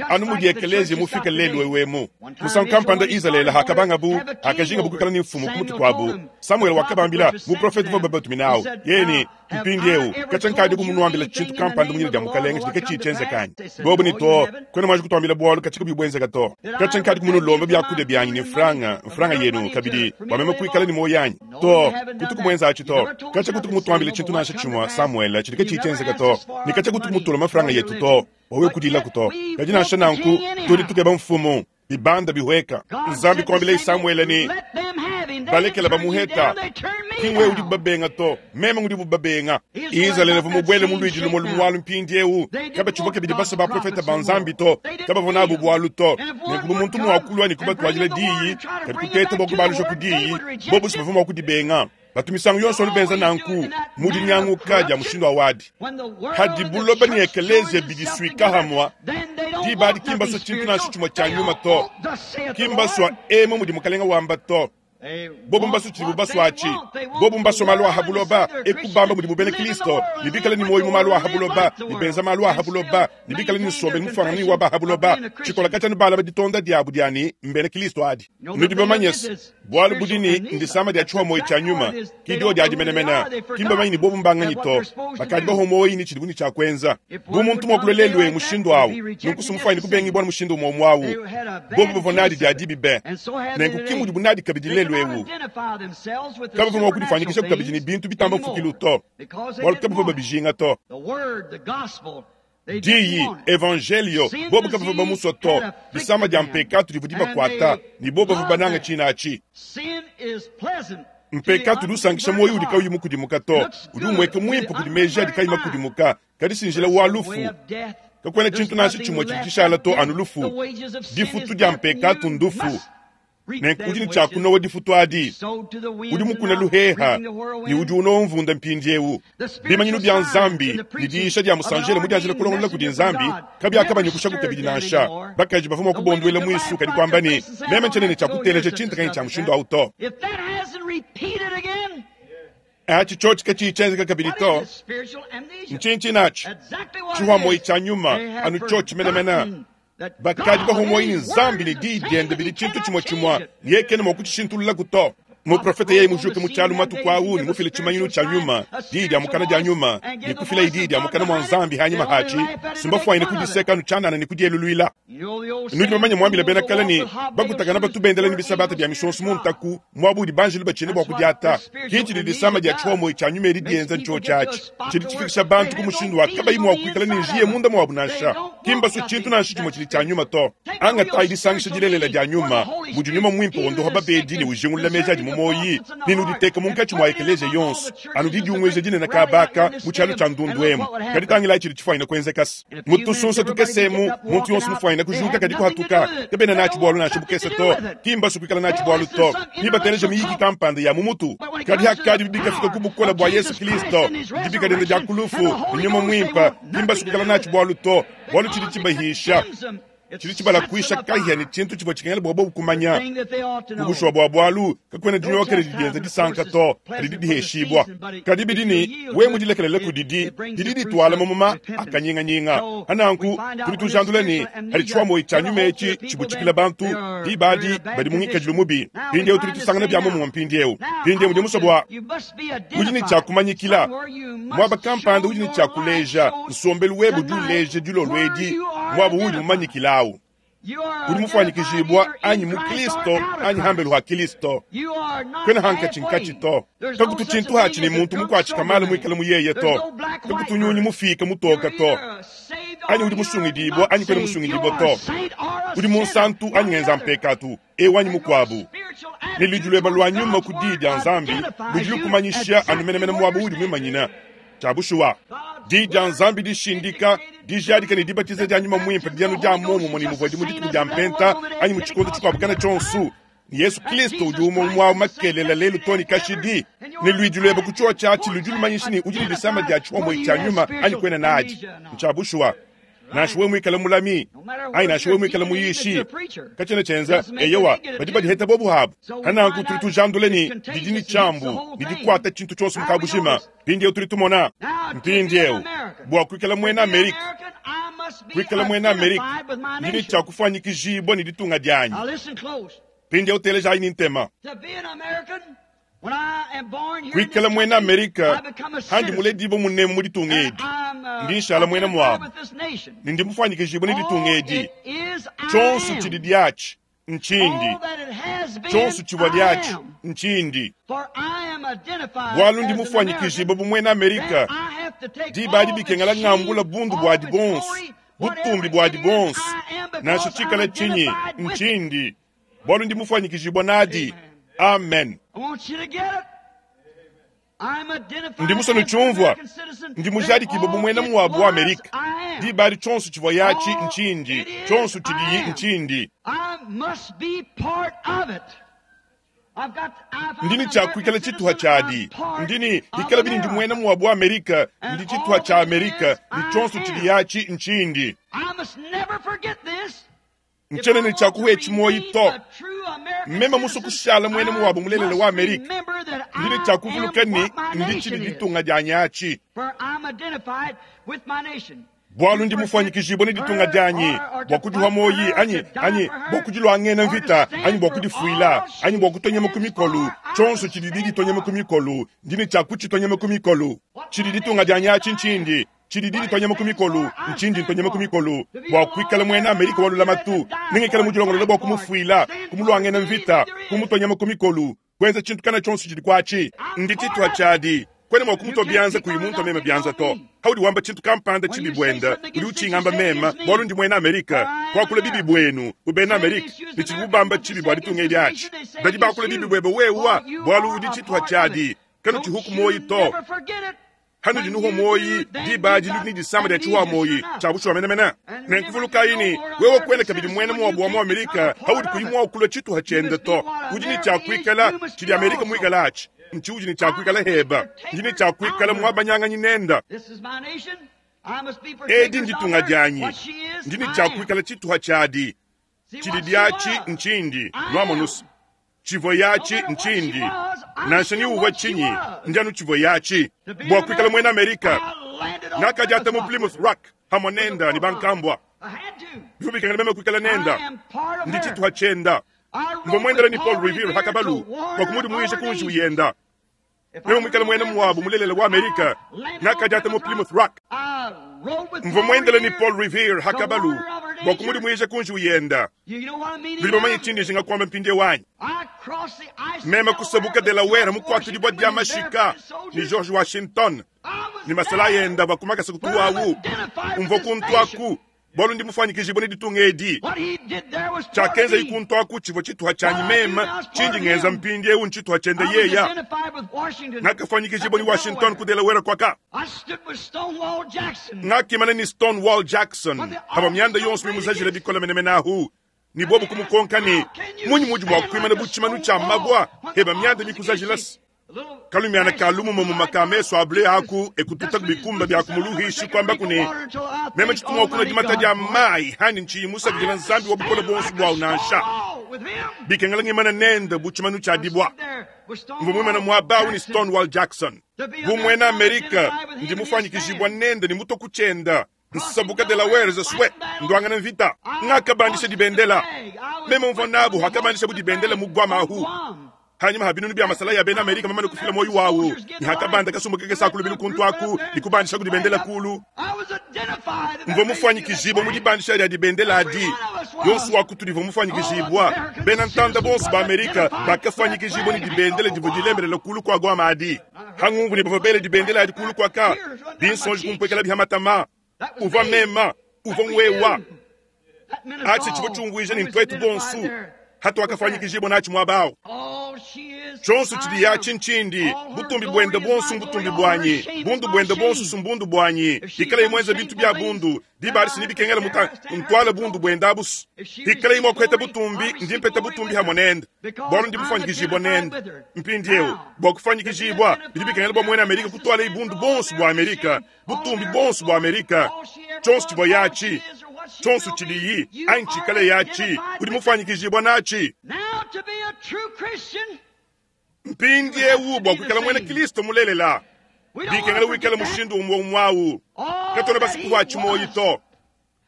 Anu mudi ekeleziya mufike lelu ewu emu. Musangu kampanda Izalele hakabangabu, hakajingabu kuikala ne mfumu ku mutu kuabu, Samuele wakabambila, muprofete uvuabu babatumine awu, yeye ne, Mpindiewu, katshia nkadiku munuambila tshintu kampanda mu dina dia Mukalenge tshidi katshiyi tshienzeka anyi? Bobu ne, Too, kuena muanji kutuambila bualu katshia kabuyi buenzeka to. Katshia nkadiku munulombe biakudia bianyi ne mfranga, mfranga yenu kabidi, bua meme kuikala ne muoyo anyi? Too, kutuku muenza atshi to. Katshia kutuku mutuambile tshintu nansha tshimue, Samuele, tshidi katshiyi tshienzeka to, ne katshia kutuku mutulombe mfranga yetu to, bua wewe kudilaku to. Kadi nansha nanku, tudi tukeba mfumu. Bibanda bihueka. Nzambi kuambileye Samuele ne, Balekela bamuheta, ki ngwewe udibu babenga to, meme ngudibu babenga. Izalele uvua mubuele mu luidi lumue lumualu mpindieu. Kabatshivua kabidi basue baprofete ba Nzambi to, kabavua nabu bualu to. Nenku bu muntu mua kulua ne kubatuadila diyi, kadi kuteta bua kubaluja ku diyi, bobu si bavua mua kudibenga. Batu misangu yonso anu benza nanku mu dinyanguka dia mushindu wa wadi. Hadi buloba ne ekeleziya bidisuika hamua, diba adi ki mbasua tshintu nansha tshimue tshia nyuma to. Ki mbasua emu mudi Mukalenga wamba to. Bobu mbasua tshidibu basua atshi. Bobu mbasua malu a ha buloba, eku bamba mudibu bena Kristo, ne bikale ne muoyo mu malu a ha buloba, ne benza malu a ha buloba, ne bikale ne nsombelu mufuangane ne wa ba ha buloba. Tshikola katshia anu balaba ditonda diabu dia ne, mbena Kristo adi. Nudi bamanye se, Bualu budi ne, ndisama dia tshihomoyi tshia nyuma, ki diodi adi menemene. Ki mbamanye ne bobu mbanganyi to. Bakadi bahomoyi ne tshidibu ne tshia kuenza. Bu muntu mua kulua lelu'eu mushindu au, nunku si mufuanyine kubengibua ne mushindu umue umue au. Bobu bavua nadi dia dibi be, nenku ki mudibu nadi kabidi lelu'eu. Kabavua mua kudifuanyikishaku kabidi ne bintu bitamba mfukilu to, bualu kabavua babijinga to. Diyi, Evanjeliyo, bobu kabavua bamusua to. Disama dia mpekatu divua dibakuata, ne bobu bavua banange tshina atshi. Mpekatu udi usankisha muoyo udi kauyi mukudimuka to, udi umueka muimpe kudi meji adi kayi makudimuka, kadi si njila wa lufu. Kakuena tshintu nansha tshimue tshidi tshishala to, anu lufu. Difutu dia mpekatu ndufu. Nenku udi ne tshia kunowa difutu adi. Udi mukune luheha ne udi unowa mvunda mpindieu. Bimanyinu bia Nzambi ne diyisha dia musanjele mudianjila kulongolola kudi Nzambi kabiakabanyukushaku kabidi nansha. Bakaji bavua mua kubonduela muisu kadi kuamba ne, Meme ntshiena ne tshia kuteleja tshintu tshia mushindu au to. Atshi tshiotshi katshiyi tshienzeka kabidi to. Ntshinyi tshinatshi? Tshihuamoyi tshia nyuma, anu tshiotshi menemene. Bakadi bahua muoyo ne Nzambi ne Diyi diende bidi tshintu tshimue tshimue, ne yeye kena mua kutshishintululaku to. Muprofete yeye mujuke mu tshialu matuku au ne mufile tshimanyinu tshia nyuma, diyi dia mukana dia nyuma, ne kufilaye diyi dia mukana mua Nzambi hanyima hatshi, si mbafuanyine kudiseka anu tshianana ne kudieluluila. Nudi bamanye muambila bena kale ne, Bakutakana batu bendela ne bisabata bia misonso mu ntaku, muaba udi banjelu batshina bua kudiata. Ki tshidi disama dia tshihomoyi tshia nyuma edi dienza ntshiotshi atshi. Tshidi tshifikisha bantu ku mushindu wa kabayi mua kuikala ne njiya munda muabu nansha. Ki mbasue tshintu nansha tshimue tshidi tshia nyuma to. Angatayi disangisha dilelela dia nyuma, mudi Nyuma Muimpe wondoha babedi ne ujingulula meji adi mu muoyi, ne nuditeke munkatshi mua ekeleziya yonso, anu didiunguija dinene kaba aka mu tshialu tshia ndundu emu. Kadi tangilayi tshidi tshifuanyine kuenzekase. Mu tusunsa tukese emu, muntu yonso mufuanyine kujuka kadi kuhatuka. Kabena natshi bualu nansha bukese to. Ki mbasue kuikala natshi bualu to. Ne bateleja miyiki kampanda ya mu mutu. Kadi hakadi bikafika ku bukole bua Yesu Kilisto, dibika diende dia ku lufu, ne Nyuma Muimpe, ki mbasue kuikala natshi bualu to, bualu tshidi tshibahisha, tshidi tshibalakuisha kahia ne tshintu tshivua tshikengela bua bobu kumanya. Ku bushuwa bua bualu, kakuena dinyoka didi dienza disanka to, kadi didiheshibua. Kadi bidi ne, wewe mudilekelele kudidi, didi dituala mamuma a kanyinganyinga. Pa nanku, tudi tujandula ne, hadi tshiwamoyi tshia nyuma etshi tshibutshikila bantu, diba adi badi mu ngikadilu mubi. Mpindieu tudi tusangana bia muomumue mpindieu. Mpindieu ndi musue bua udi ne tshia kumanyikila muaba kampanda, udi ne tshia kuleja nsombelu webe udi uleja dilolo edi muaba uudi mumanyikilawu. Udi mufuanyikijibua anyi mu Kristo anyi hambelu ha Kristo. Kuena hankatshinkatshi to. Kakutu tshintu hatshi ne muntu mukuatshika malu muikale mu yeye to. Kakutu nyunyi mufike mutoka to. Anyi udi musungidibua anyi kuena musungidibua to. Udi munsantu anyi ngenza mpekatu, eu anyi mukuabu. Ne ludi lueba lua nyuma ku Diyi dia Nzambi ludi lukumanyisha anu menemene muaba uudi muimanyina. Tshia bushuwa, Diyi dia Nzambi dishindika, dijadika ne dibatiza dia Nyuma Muimpe didi anu dia muomumue ne muvuadi mu dituku dia Mpenta anyi mu tshikondo tshikuabu kana tshionso. Ne Yesu Kristo udi umue umue au makelela lelu too ne kashidi. Ne luidi luebe ku tshiotshi atshi ludi lumanyisha ne udi ne disama dia tshihomoyi tshia nyuma anyi kuena nadi. Ntshia bushuwa. Nansha wewe muikale mulami anyi nansha wewe muikale muyishi, katshiena tshienza. Eyowa, badi badiheta bobu habu. Pananku tudi tujandula ne didi ne tshiambu ne dikuata tshintu tshionso mu kabujima. Mpindieu tudi tumona mpindieu bua kuikala muena Amerika. Kuikala muena Amerika ndi ne tshia kufuanyikijibua ne ditunga dianyi. Mpindieu telejayi ne ntema. Kuikala muena Amerika handi muledibue munemu mu ditunga edi, ndi nshala muena muabu ne ndi mufuanyikijibue ne ditunga edi. Tshionso tshidi diatshi ntshindi, tshionso tshivua diatshi ntshindi, bualu ndi mufuanyikijibue bu muena Amerika. Diba adi bikengela ngambula bundu buadi buonso, butumbi buadi buonso, nansha tshikala tshinyi, ntshindi, bualu ndi mufuanyikijibua nadi. Amen. Ndi musue nutshiumvua. Ndi mujadikibue bu muena muabu wa Amerika. Diba adi tshionso tshivua yatshi ntshindi, tshionso tshidiyi ntshindi. Ndi ne tshia kuikala tshituha tshiadi. Ndi ne bikala bini ndi muena muabu wa Amerika, ndi tshituha tshia Amerika, ne tshionso tshidi yatshi ntshindi. Ntshiena ne tshia kuhuetshi muoyi to. Meme musue kushala muena muabu mulelela wa Amerika, ndi ne tshia kuvuluka ne ndi tshidi ditunga dianyi atshi. Bualu ndi mufuanyikijibue ne ditunga dianyi bua kudiha muoyi anyi, anyi bua kudiluangena mvita anyi bua kudifuila anyi bua kutonyema ku mikolu. Tshionso tshidi ditonyema ku mikolu, ndi ne tshia kutshitonyema ku mikolu. Tshidi ditunga dianyi atshi ntshindi. Tshidi ditonyema ku mikolu, ntshindi ntonyema ku mikolu bua kuikala muena Amerika wa lulamatu, nengikale mudilongolole bua kumufuila, kumuluangena mvita, kumutonyema ku mikolu, kuenza tshintu kana tshionso tshidi kuatshi. Ndi tshituha tshiadi. Kuena mua kumutua bianza kuyi muntua meme bianza to. Haudi wamba tshintu kampanda tshibi buenda, udi utshingamba meme, bualu ndi muena Amerika. Kuakula bibi buenu bu bena Amerika ne tshidibu bamba tshibi bua ditunga edi atshi. Badi bakula bibi buebe wewa, bualu udi tshituha tshiadi. Kanutshihuku muoyi to. Hanudi nuhua muoyi, diba adi nudi ne disama dia tshihuwa muoyi tshia bushuwa menemene. Nenkuvulukayi ne, wewe kuena kabidi muena muabu wa mu Amerika haudi kuyi mua kulua tshituha tshiende to. Udi ne tshia kuikala tshidi Amerika muikale atshi, ntshiudi ne tshia kuikala heba. Ndi ne tshia kuikala muabanyanganyi nenda. Edi nditunga dianyi, ndi ne tshia kuikala tshituha tshiadi. Tshidi diatshi ntshindi, nuamonusa. Tshivua yatshi ntshindi, nansha ni uvua tshinyi, ndi anu tshivua yatshi. Bua kuikala muena Amerika, ngakadiata mu Plymouth Rock hamue nenda ne bankambua. Bivua bikengela meme kuikala nenda, ndi tshituha tshienda. Mvua muendela ne Paul Revere ha kabalu bua kumudimuija ku njiwu yenda. Meme muikale muena muabu mulelela wa Amerika, ngakadiata mu Plymouth Rock. Mvua muendele ne Paul Revere ha kabalu bua kumudimuija ku njiwu yenda. Nudi bamanye tshindi njinga kuamba mpindieu anyi? Meme kusabuka Delaware mukuatudibua dia mashika ne George Washington ne masalayi enda avua ku makasa kutuawu. Mvua kuntu aku bualu ndi mufuanyikijibue ne ditunga edi. Tshiakenzayi kuntu aku tshivua tshituha tshianyi meme, tshindi ngenza mpindieu ntshituha tshiende yeya. Ngakafuanyikijibua ne Washington ku Delaware kuaka. Ngakimana ne Stonewall Jackson pavua mianda yonso mimuzajile bikole menemene ahu, ne bobu kumukonka ne, Munyi muudi mua kuimana bu tshimanu tshia mabua heba mianda mikuzajilase? Kalumiana ka lumumamuma ka mesu a ble aku ekututaku bikumba bia kumuluhishi kuambaku ne, Meme tshitu mua kunua dimata dia mayi handi ntshiyi musakidila Nzambi wa bukole buonso buawu nansha. Bikengela ngimana nende bu tshimanu tshia dibua. Mvua muimane muaba au ne Stonewall Jackson. Bu muena Amerika, ndi mufuanyikijibua nende ne mutua ku tshienda. Nsabuka Delaware swe nduangana mvita. Ngakabandisha dibendela. Meme mvua nabu hakabandishabu dibendela mu Guam ahu. Hanyima ha binunu bia masalayi a bena Amerika mamane kufila muoyo wawu, ne hakabanda kasumbu kakese aku lubilu kuntu aku ne kubandishaku dibendela kulu. Mvua mufuanyikijibua mu dibandisha dia dibendela adi. Yonso wa kutudi uvua mufuanyikijibua. Bena ntanda bonso ba Amerika bakafuanyikijibua ne dibendela divua dilembelela kulu kua Guam adi. Hangumvu ne bavua bele dibendela adi kulu kuaka, binsonji kumpuekela bihamatama. Uvua mema, uvua ngwewa. Atshi tshivua tshiumvuija ne ntuetu bonso hatuakafuanyikijibua natshi muaba awu. Tshionso tshidi yatshi ntshindi, butumbi buende buonso mbutumbi buanyi, bundu buende buonso sumbundu buanyi. Ikalayi muenza bintu bia bundu, diba adi sinibikengela muta ntuala bundu buende abusu. Ikalayi mua kuheta butumbi, ndi mpeta butumbi hamue nende, bualu ndi mufuanyikijibua nende. Mpindieu, bua kufuanyikijibua, bidi bikengela bua muena Amerika kutualayi bundu buonso bua Amerika, butumbi buonso bua Amerika, tshionso tshivua yatshi, tshionso tshidiyi anyi tshikale yatshi, udi mufuanyikijibua natshi. Mpindieu, bua kuikala muena Kristo mulelela, bikengela wikale mushindu umue umue au. Katuena basue kuhua tshimoyi to.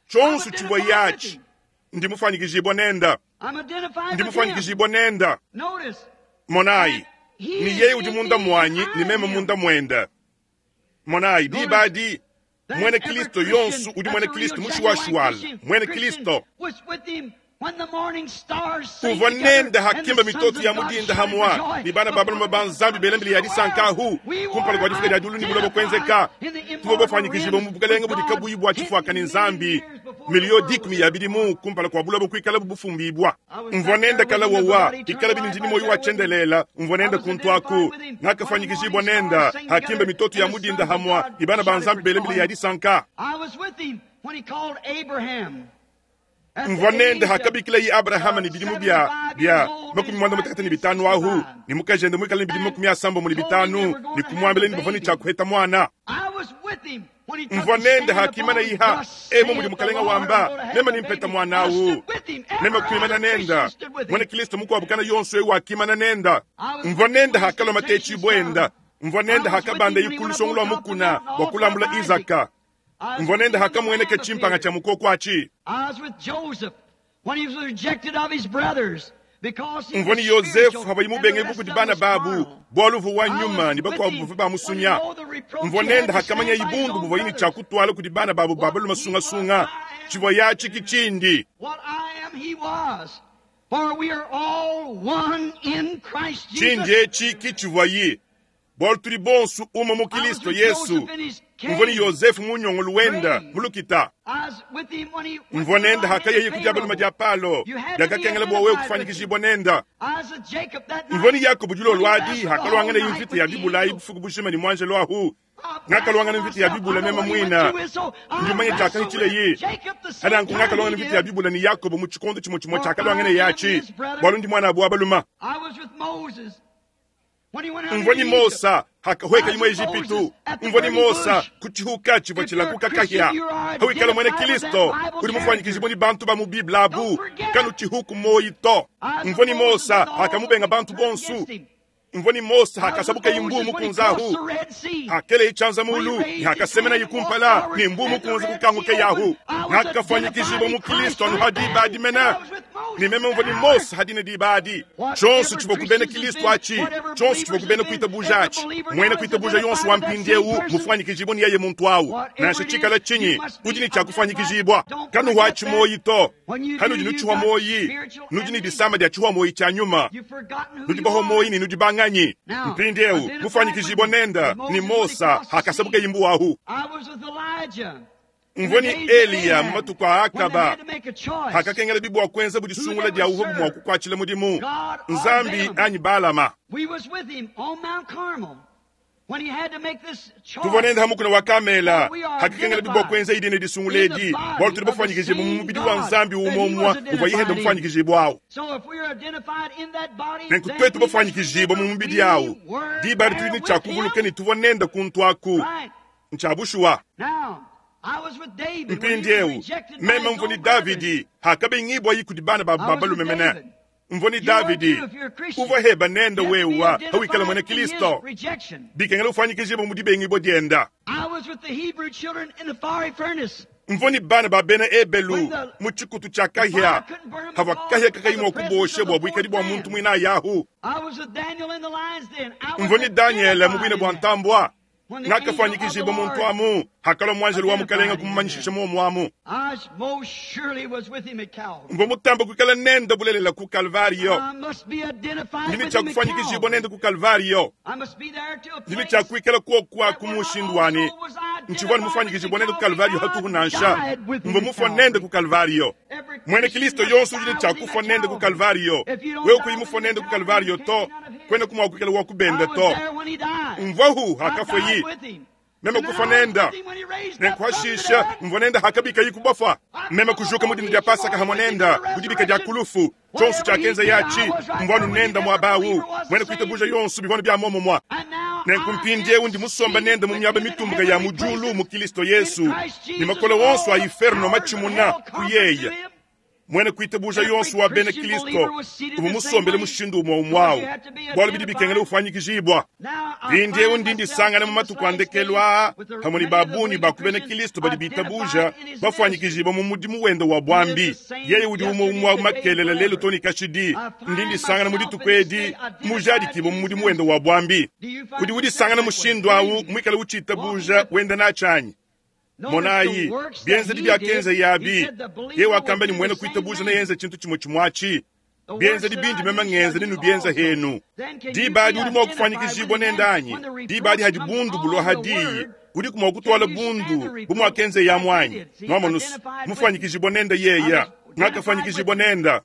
Tshionso tshivua yatshi, ndi mufuanyikijibua nenda. Ndi mufuanyikijibua nenda. Monayi, ni yeye udi munda muanyi ni meme munda muenda. Monayi, diba adi mwene Kristo yonso udi mwene Kristo mushuwashuwala, mwene Kristo. Uvua nenda hakimba mitoto ya mudinda hamwa ni bana ba balume ba Nzambi belembele ya disankahu kumpala kua difika dia diulu ni buloba kuenzeka. Tuvua bafanyikijibua mu bukalenge budi kabuyi bua tshifuaka ni Nzambi miliyo dikumi ya bidimu kumpala kua buloba kuikala bufumbibua. Mvua nenda kala wowa ikala bini ndini moyo wa chendelela. Mvua nenda kuntwaku ngakafanyikijibua nenda hakimba mitoto ya mudinda hamwa ni bana ba Nzambi belembele ya disanka. Mvua nenda hakabikila yi Abrahama ni bidimu bia bia 75 ahu ni mukajende mwikala ni bidimu 75 ni kumwambila ni bavani cha kuheta mwana. Mvua nenda hakimana iha emo mudi mukalenga wamba mema nimpeta mwana awu mema kuimana nenda mwene Kristo mukwabukana yonso ewu akimana nenda. Mvua nenda hakalwa matechi bwenda. Mvua nenda hakabanda ikulu lwa mukuna wa kulambula Isaka. Mvua nenda hakamweneka chimpanga cha mukoko achi. Mvua ni Yosefu habayi mubenge kudi bana babu bwaluvu wa nyuma ni bakwabu ba musunya. Mvua nenda hakamanya ibundu buvwa yini cha kutwala kudi bana babu babalu masungasunga chivwa yachi kichindi. Chindi echi kichivwa yi bwalu tuli bonsu uma mu Kristo Yesu. Mvua ni Yosefu munyongo luwenda mulukita. Mvua nenda hakaya yikudia baluma dia palo yakakengela bwa wewe kufanyikishibwa nenda. Mvua ni Yakobo julo lwadi hakalwangana imvita ya bibula ibufuku bushima ni mwanje lwahu. Ngakalwangana imvita ya bibula mema mwina. Ndumanye chakahichile yi. Hada nkungakalwangana imvita ya bibula ni Yakobo mu chikondo chimo chimo chakalwangana yachi. Bwalundi mwana abu abaluma. Mvua ni Mosa hakahweka imwe Egipitu. Mvua ni Mosa kuchihuka chivwa chilakuka kahya. Hawikala mwene Kristo kuli mufanyikijibwa ni bantu ba mu Biblia abu kanu chihuku moyito. Mvua ni Mosa hakamubenga bantu bonsu. Mvua ni Mosa hakasabuka imbu mukunzahu. Hakele ichanza mulu ni hakasemena yikumpala ni mbu mukunza kukanguke yahu. Nakafanyikijibwa mu Kristo anu hadi badi mena. Ni meme mvua ni Mosa hadine dibadi. Chonso chivwa kubena Kristo achi. Chonso chivwa kubena kuita buja achi. Mwene kuita buja yonso wa mpindiewu mufanyikijibwa ni yeye muntu awu. Nashe chikala chinyi udi cha kufanyikijibwa. Kanu wachi moyito. Kanu jinu chuwa moyi. Nudi ni disama dia chuwa moyi cha nyuma. Nudi baho moyi ni nudi banganyi. Mpindiewu mufanyikijibwa nenda ni Mosa hakasabuka imbu ahu. Mvua ni Eliya matuku a Akaba hakakengela bibwa kwenza budisungula dia uhobu mwa kukwachila mudimu Nzambi anyi Balama. Tuvua nenda hamukuna wa Kamela hakakengela bibwa kwenza idine disungula edi bwalu tuli bafanyikijibwa mu mubidi wa Nzambi umomwa uvua yihenda mufanyikijibwa awu. Nenku twetu bafanyikijibwa mu mubidi awu diba tuli ni chakuvuluka ni tuvua nenda kuntwaku nchabushuwa. Mpindiewu meme mvua ni Davidi hakabengibwa yikudi bana ba babalume mene. Mvua ni Davidi uvua heba nenda wewa hawikala mwene Kristo bikengela ufanyikijibwa mu dibengibwa dienda. Mvua ni bana ba bena Ebelu mu chikutu cha kahya havwa kahya kakayimwa kuboshe bwa bwikadi bwa muntu mwina yahu. Mvua ni Daniel mu bwina bwa ntambwa. Nakafanyikijibwa muntu amu hakala mwanjelu wa mukalenga kumumanyishisha muomu amu. Mvua mutamba kuikala nenda bulelela ku Kalvario. Ndini cha kufanyikijibwa nenda ku Kalvario. Ndini cha kuikala kuokwa kumushindwani. Nchivwa mufanyikijibwa nenda ku Kalvario hatuhu nansha. Mvua mufwa nenda ku Kalvario. Mwene Kristo yonso ujile cha kufwa nenda ku Kalvario. Wewe kuimufwa nenda ku Kalvario to kwenda kumwa kuikala wa kubenda to. Mvua hu hakafwe yi. Meme kufa nenda. Nenkuhashisha mvua nenda hakabika yikubafa. Meme kujuka mudini dia Pasaka hamwa nenda kudibika dia kulufu. Chonso cha kenza yachi mvua nenda mwabawu. Mwene kuita buja yonso bivano bya momo mwa. Nenkumpindie undi musomba nenda mu myaba mitumbuka ya mujulu mu Kristo Yesu. Ni makolo wonso a inferno machimuna kuyeye. Muena kuitabuja yonso wa bena Kristo uvua musombele mushindu umue umue au, bualu bidi bikengela ufuanyikijibua. Mpindieu ndi ndisangana mu matuku a ndekelu aa pamue ne ba bungi ba ku bena Kristo badi bitabuja bafuanyikijibua mu mudimu wende wa buambi. Yeye udi umue umue au makelela, lelu too ne kashidi. Ndi ndisangana mu dituku edi mujadikibue mu mudimu wende wa buambi. Udi udisangana mushindu au muikale utshitabuja wenda natshi anyi? Monayi, bienzedi biakenza abi, yeye wakamba ne muena kuitabuja neyenze tshintu tshimue tshimue atshi. Bienzedi bindi meme ngenza nenubienza henu. Diba adi udi mua kufuanyikijibua nende anyi? Diba adi hadi bundu bulua ha diyi, udiku mua kutuala bundu bu muakenza yamu anyi? Nuamonus, mufuanyikijibua nende yeya, ngakafuanyikijibua nenda.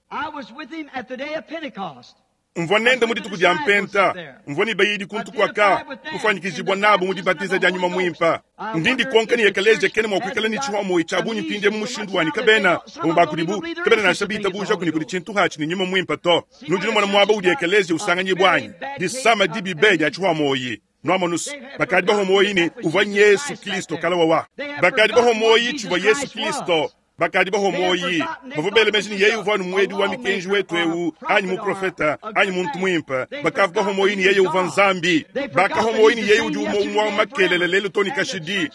Mvua nende mu dituku dia Mpenta, mvua ne bayidi kuntu kuaka, kufuanyikijibua nabu mu dibatiza dia Nyuma Muimpe. Ndi ndikonka ne ekeleziya kena mua kuikala ne tshihuamuoyi tshia bungi mpindieu mu mushindu wanyi kabena bamue ba kudibu kabena nansha bitabujaku ne kudi tshintu atshi ne Nyuma Muimpe to. Nudi numona muaba udi ekeleziya usanganyibua anyi? Disama dibi be dia tshihuamuoyi. Nuamonus, bakadi bahua muoyi ne uvua Yesu Kristo kala wawa. Bakadi bahua muoyi tshivua Yesu Kristo. Bakadi bahua muoyi bavua bela meji ne yeye uvua anu muedi wa mikenji wetu eu, anyi muprofeta, anyi muntu muimpe. Bakavua bahua muoyi ne yeye uvua Nzambi. Bakahua muoyi ne yeye udi umue umue wa makelele lelu too ne kashidi.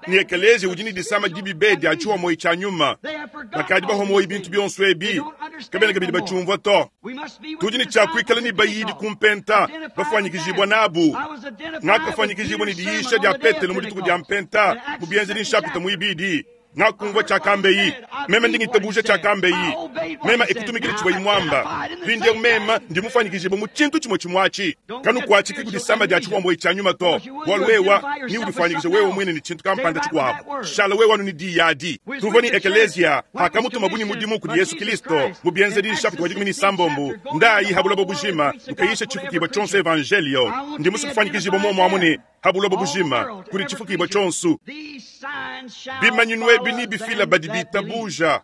Ne ekeleziya udi ne disama dibi be dia tshihua muoyi tshia nyuma. Bakadi bahua muoyi bintu bionso ebi, kabena kabidi batshiumvua to. Tudi ne tshia kuikala ne bayidi ku mpenta, bafuanyikijibua nabu. Ngakafuanyikijibua ne diyisha dia Petelo mu dituku dia Mpenta mu Bienzedi nshapita muibidi. Ngakumvua tshiakambeyi, meme ndi ngitabuja tshiakambeyi, meme ekutumikila tshivuayi muamba. Mpindieu meme ndi mufuanyikijibue mu tshintu tshimue tshimue atshi. Kanukuatshiki ku disama dia tshihuambueyi tshia nyuma to, bualu wewa ni udifuanyikija wewe muine ne tshintu kampanda tshikuabu. Shala wewe anu ne diyi adi. Tuvua ne ekeleziya pakamutumabu ne mudimu kudi Yesu Kristo mu Bienzedi nshapita wa 16, Ndayi ha buloba bujima, nukayisha tshifukibua tshionso evanjelio. Ndi musue kufuanyikijibua muomu amu ne ha buloba bujima kudi tshifukibua tshionso. Bimanyinu ebi nebifila badi bitabuja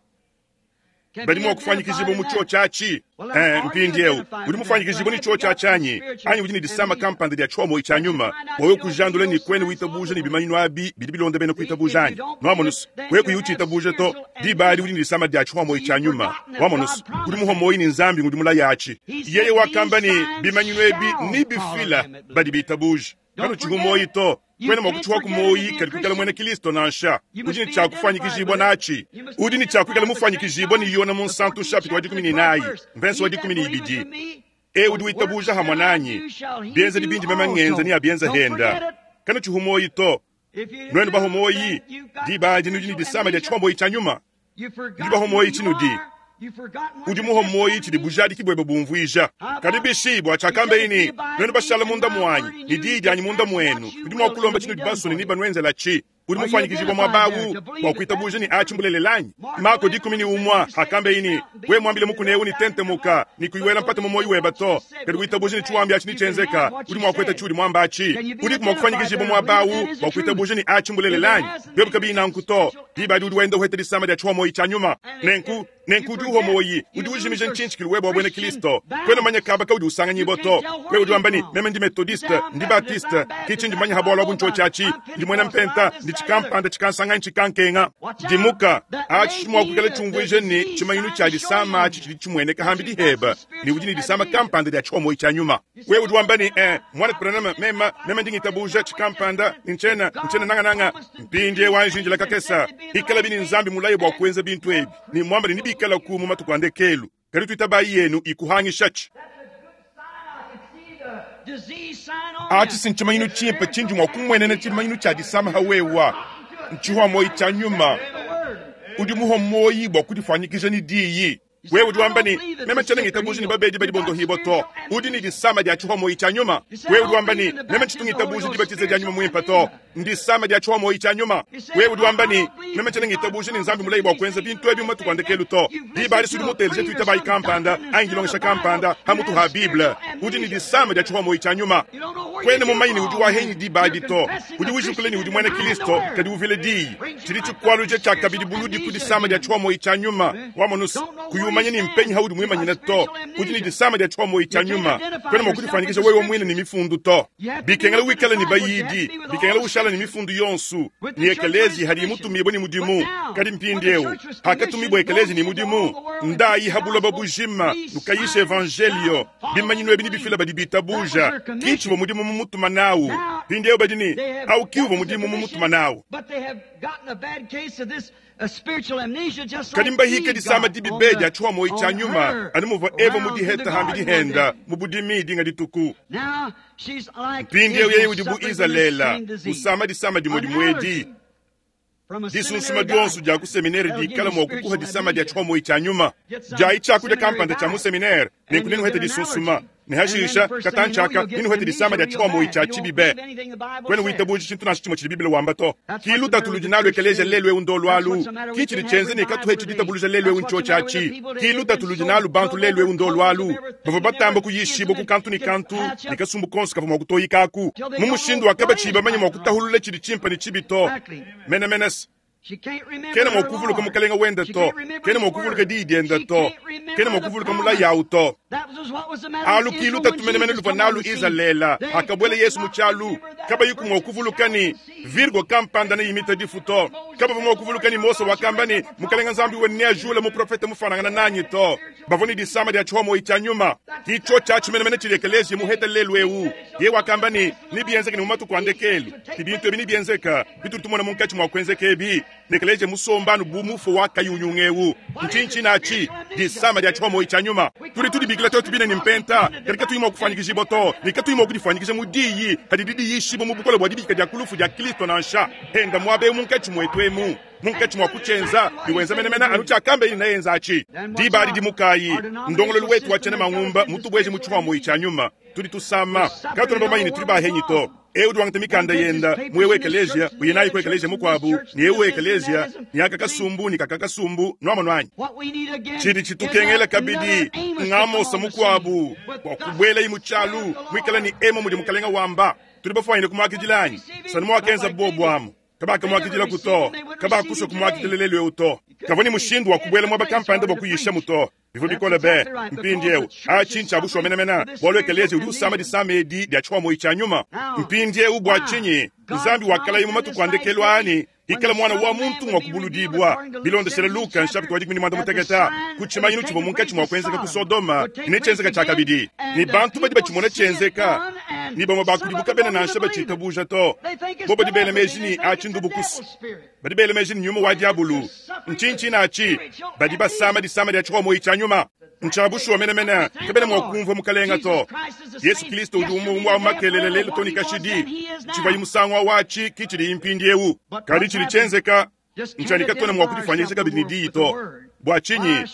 badi mua kufuanyikijibua mu tshiotshi atshi. Eh, mpindieu udi mufuanyikijibua ne tshiotshi atshi anyi? Anyi udi ne disama kampanda dia tshiuamuoyi tshia nyuma bua wewe kujandula ne kuena witabuja ne bimanyinu abi bidi bilonda bena kuitabuja anyi? Nuamonus, wewe kuyi utshitabuja to, diba adi udi ne disama dia tshiuamuoyi tshia nyuma. Wamonus, udi muhua muoyi ne Nzambi ngudi mulaya atshi. Yeye wakamba ne bimanyinu ebi nebifila badi bitabuja. Kanutshihu muoyi to. Kuena mua kutshihuaku muoyi kadi kuikala muena Kilisto nansha. Udi ne tshia kufuanyikijibua natshi. Udi ne tshia kuikala mufuanyikijibua ne Yona Munsantu nshapita wa 14 mvense wa 12. E udi witabuja hamue nanyi, bienzedi bindi meme ngenza neabienze henda. Kanutshihu muoyi to. Nuenu bahua muoyi, diba adi nudi ne disama dia tshihuamuoyi tshia nyuma. Nudi bahua muoyi tshinudi. Udi muhua muoyi tshidi bujadiki buebe bumvuija. Kadi bishi bua tshiakambeye ne, Nuenu bashala munda muanyi, ne diyi dianyi munda muenu, nudi mua kulomba tshinudi basue ne nebanuenzelatshi. Udi mufuanyikijibua muaba au bua kuitabuja ne atshi mbulelela anyi? Mako 11 hakambeye ne, Wewe muambile mukuna eu ne tentemuka, ne kuyi wela mpata mu muoyo webe to, kadi witabuja ne tshiwambi atshi netshienzeka, udi mua kueta tshiudi muamba atshi. Udiku mua kufuanyikijibua muaba au bua kuitabuja ne atshi mbulelela anyi? Biobi kabiyi nanku to, diba adi udi wenda uheta disama dia tshihuamuoyi tshia nyuma. Nenku, nenku udi uhua muoyi, udi ujimija ntshintshikilu webe wa buena Kristo. Kuena umanya kaba kaudi usanganyibua to. Wewe udi wamba ne, meme ndi Methodiste, ndi Baptiste, ke tshindi manya ha bualu abu ntshiotshi atshi, ndi muena Mpenta, ndi tshikampanda, tshikansanganyi, tshikankenga. Dimuka, atshi tshidi mua kuikala tshiumvuija ne, tshimanyinu tshia disama atshi tshidi tshimueneka hambidi heba ne udi ne disama kampanda dia tshihuamuoyi tshia nyuma. Wewe udi wamba ne, eh, Muanetu Branham, meme, meme ndi ngitabuja tshikampanda, ntshiena, ntshiena nangananga. Mpindieu anji indila kakese. Ikalabi ne Nzambi mulaye bua kuenza bintu ebi, ne muamba ne nebikalaku mu matuku a ndekelu, kadi tuitabayi yenu ikuhangishatshi. Atshi si ntshimanyinu tshimpe tshindi mua kumuenena tshimanyinu tshia disama ha wewa, ntshihua muoyi tshia nyuma. Udi muhua muoyi bua kudifuanyikija ne diyi. Wewe udi wamba ne, meme tshiena ngitabuja ne babedi badi bondohibua to. Udi ne disama dia tshihuamuoyi tshia nyuma. Wewe udi wamba ne, meme tshitu ngitabuja dibatiza dia nyuma muimpe to. Ndisama dia tshihuamuoyi tshia nyuma. Wewe udi wamba ne, meme tshiena ngitabuja ne Nzambi mulayi bua kuenza bintu ebi mu matuku a ndekelu to. Diba adi sudi muteleje tuitabayi kampanda anyi dilongesha kampanda ha mutu ha Bible. Udi ne disama dia tshihuamuoyi tshia nyuma. Kuena mumanye ne udi wahenyi diba adi to. Udi ujukula ne udi muena Kristo, kadi uvila diyi. Tshidi tshikualuja tshiakabidi buludi ku disama dia tshihuamuoyi tshia nyuma. Wamonus, kuyi umanya. mumanye ni mpenyi haudi muimanyine to. Udi ne disama dia tshiwa tshia nyuma. Kwena mua kudifanyikija wewe muine ne mifundu to. Bikengela wikale ne bayidi, bikengela ushala ne mifundu yonsu, ni ekelezi hadi mutumibwe ni mudimu. Kadi mpindieu hakatumibwa ekelezi ni mudimu. Ndayi habuloba bujima nukayisha evangelio. Bimanyinu ebi ni bifila badi bitabuja. Kichi wa mudimu mumutuma nawu. Mpindieu badi ni au kiu wa mudimu mumutuma nawu. Kadi mbahika disama dibi dia tshiwa moyi tshia nyuma anu muvua Eva mudiheta hambi dihenda mu budimi dinga dituku. Mpindieu yeye udi bu Izalele usama disama dimue dimuedi. Disunsuma dionso dia ku seminere dikala mua kukuha disama dia tshiwa moyi tshia nyuma. Diayi tshiakudia kampanda tshia mu seminere nenku nenuhete disunsuma. Nehashisha katanchaka ninuhete disama dia tshiwa moyi tshia tshibibe. Kwena witabuja tshintu nansha tshimue tshidi Biblia wamba to. Ki lutatu ludi nalu ekelesia lelu eu ndolu alu. Ki tshidi tshienze ne katuhe tshidi lelu eu ntsho tshiatshi. Ki lutatu ludi nalu bantu lelu eu ndolu alu. Bavua batamba kuyishibwa ku kantu ni kantu ni kasumbu konso kavua mua kutoyikaku. Mu mushindu wa kabatshiyi bamanye mua kutahulula tshidi tshimpe ne tshibi to. Mena menes. Kena mua kuvuluka mukalenga wenda to. Kena mua kuvuluka diyi dienda to. Kena mua kuvuluka mulayi awu to. Alu ki lutatu menemene luvua nalu Izalele hakabwela Yesu mu tshialu. Kabayi mua kuvuluka ni Virgo kampanda ne imita difu to. Kabavua mua kuvuluka ni Mose wakamba ni mukalenga Nzambi wenu neajule muprofete mufanangana nanyi to. Bavua ni disama dia tshiwa moyi tshia nyuma. Kicho tshiatshi menemene tshidi ekelezia muheta lelu eu. Ye wakamba ni nibienzeke ni mu matuku a ndekelu. Tibintu ebi nibienzeka bitudi tumona munkatshi mua kuenzeka ebi. Nekeleje musombanu bu mufo wa kayunyungewu. Nchinchi nachi disama dia tshiwa moyi tshia nyuma. Tudi tudibikila twetu bine ni mpenta. Kadi katuyi mua kufanyikisha to. Ni katuyi mua kudifanyikisha mu diyi. Kadi didi yishibo mu bukole bua dibika dia kulufu dia Kristo nansha. Henda muabe munkatshi mwetu emu. Munkatshi mua kutshenza biwenza menemene anu tshiakambe ili nayenza achi. Diba adi dimukayi. Ndongololu wetu wa tshena mangumba mutubweje mu tshiwa moyi tshia nyuma. Tudi tusama. Katuna bamanyi ni tudi bahenyi to. Eu duangata mikanda yenda mwewe ekelesia uyenayi ku ekelesia mukwabu ni eu ekelesia ni akakasumbu ni kakakasumbu nwamwanwanyi. Tshidi tshitukengela kabidi ngamosa mukwabu bua kubwela imu tshialu mwikala ni emo mudi mukalenga wamba. Tudi bafwanyine kumwakidilanyi sanu mwakenza bobu amu. Kabaka mwakidila kuto, kabakusha kumwakidila lelu eu to. Kavua ni mushindu wa kubwela mwaba kampanda bua kuyisha muto. Bivua bikole be mpindieu achi ntsha menemene bualu ekelesia udi usama disama edi dia tshiwa moyi tshia nyuma. Mpindieu bua tshinyi Nzambi wakalayi mu matuku a ndekelu ani ikala mwana wa muntu mua kubuludibwa. Bilondeshela Luka nshapita wa 16 ku tshimanyinu tshivua munkatshi mua kuenzeka ku Sodoma ne tshienzeka tshia kabidi. Ni bantu badi batshimona tshienzeka ni bamue bakudibuka bena nansha batshitabuja to. Bo badi bela meji ni achi ndubukusu. Badi bela meji ni nyuma wa diabulu. Nchinchi nachi badi basama disama dia tshiwa moyi tshia nyuma. Ntshabushuwa menemene kabena mua kumvua mukalenga to. Yesu Kristo udi umwe makelele lelu to ni kashidi. Tshivayi musangu wa wachi kichidi impindi eu. Kadi chili chenzeka nchanika tona mua kudifanyisha kabidi ni diyi to. Bua tshinyi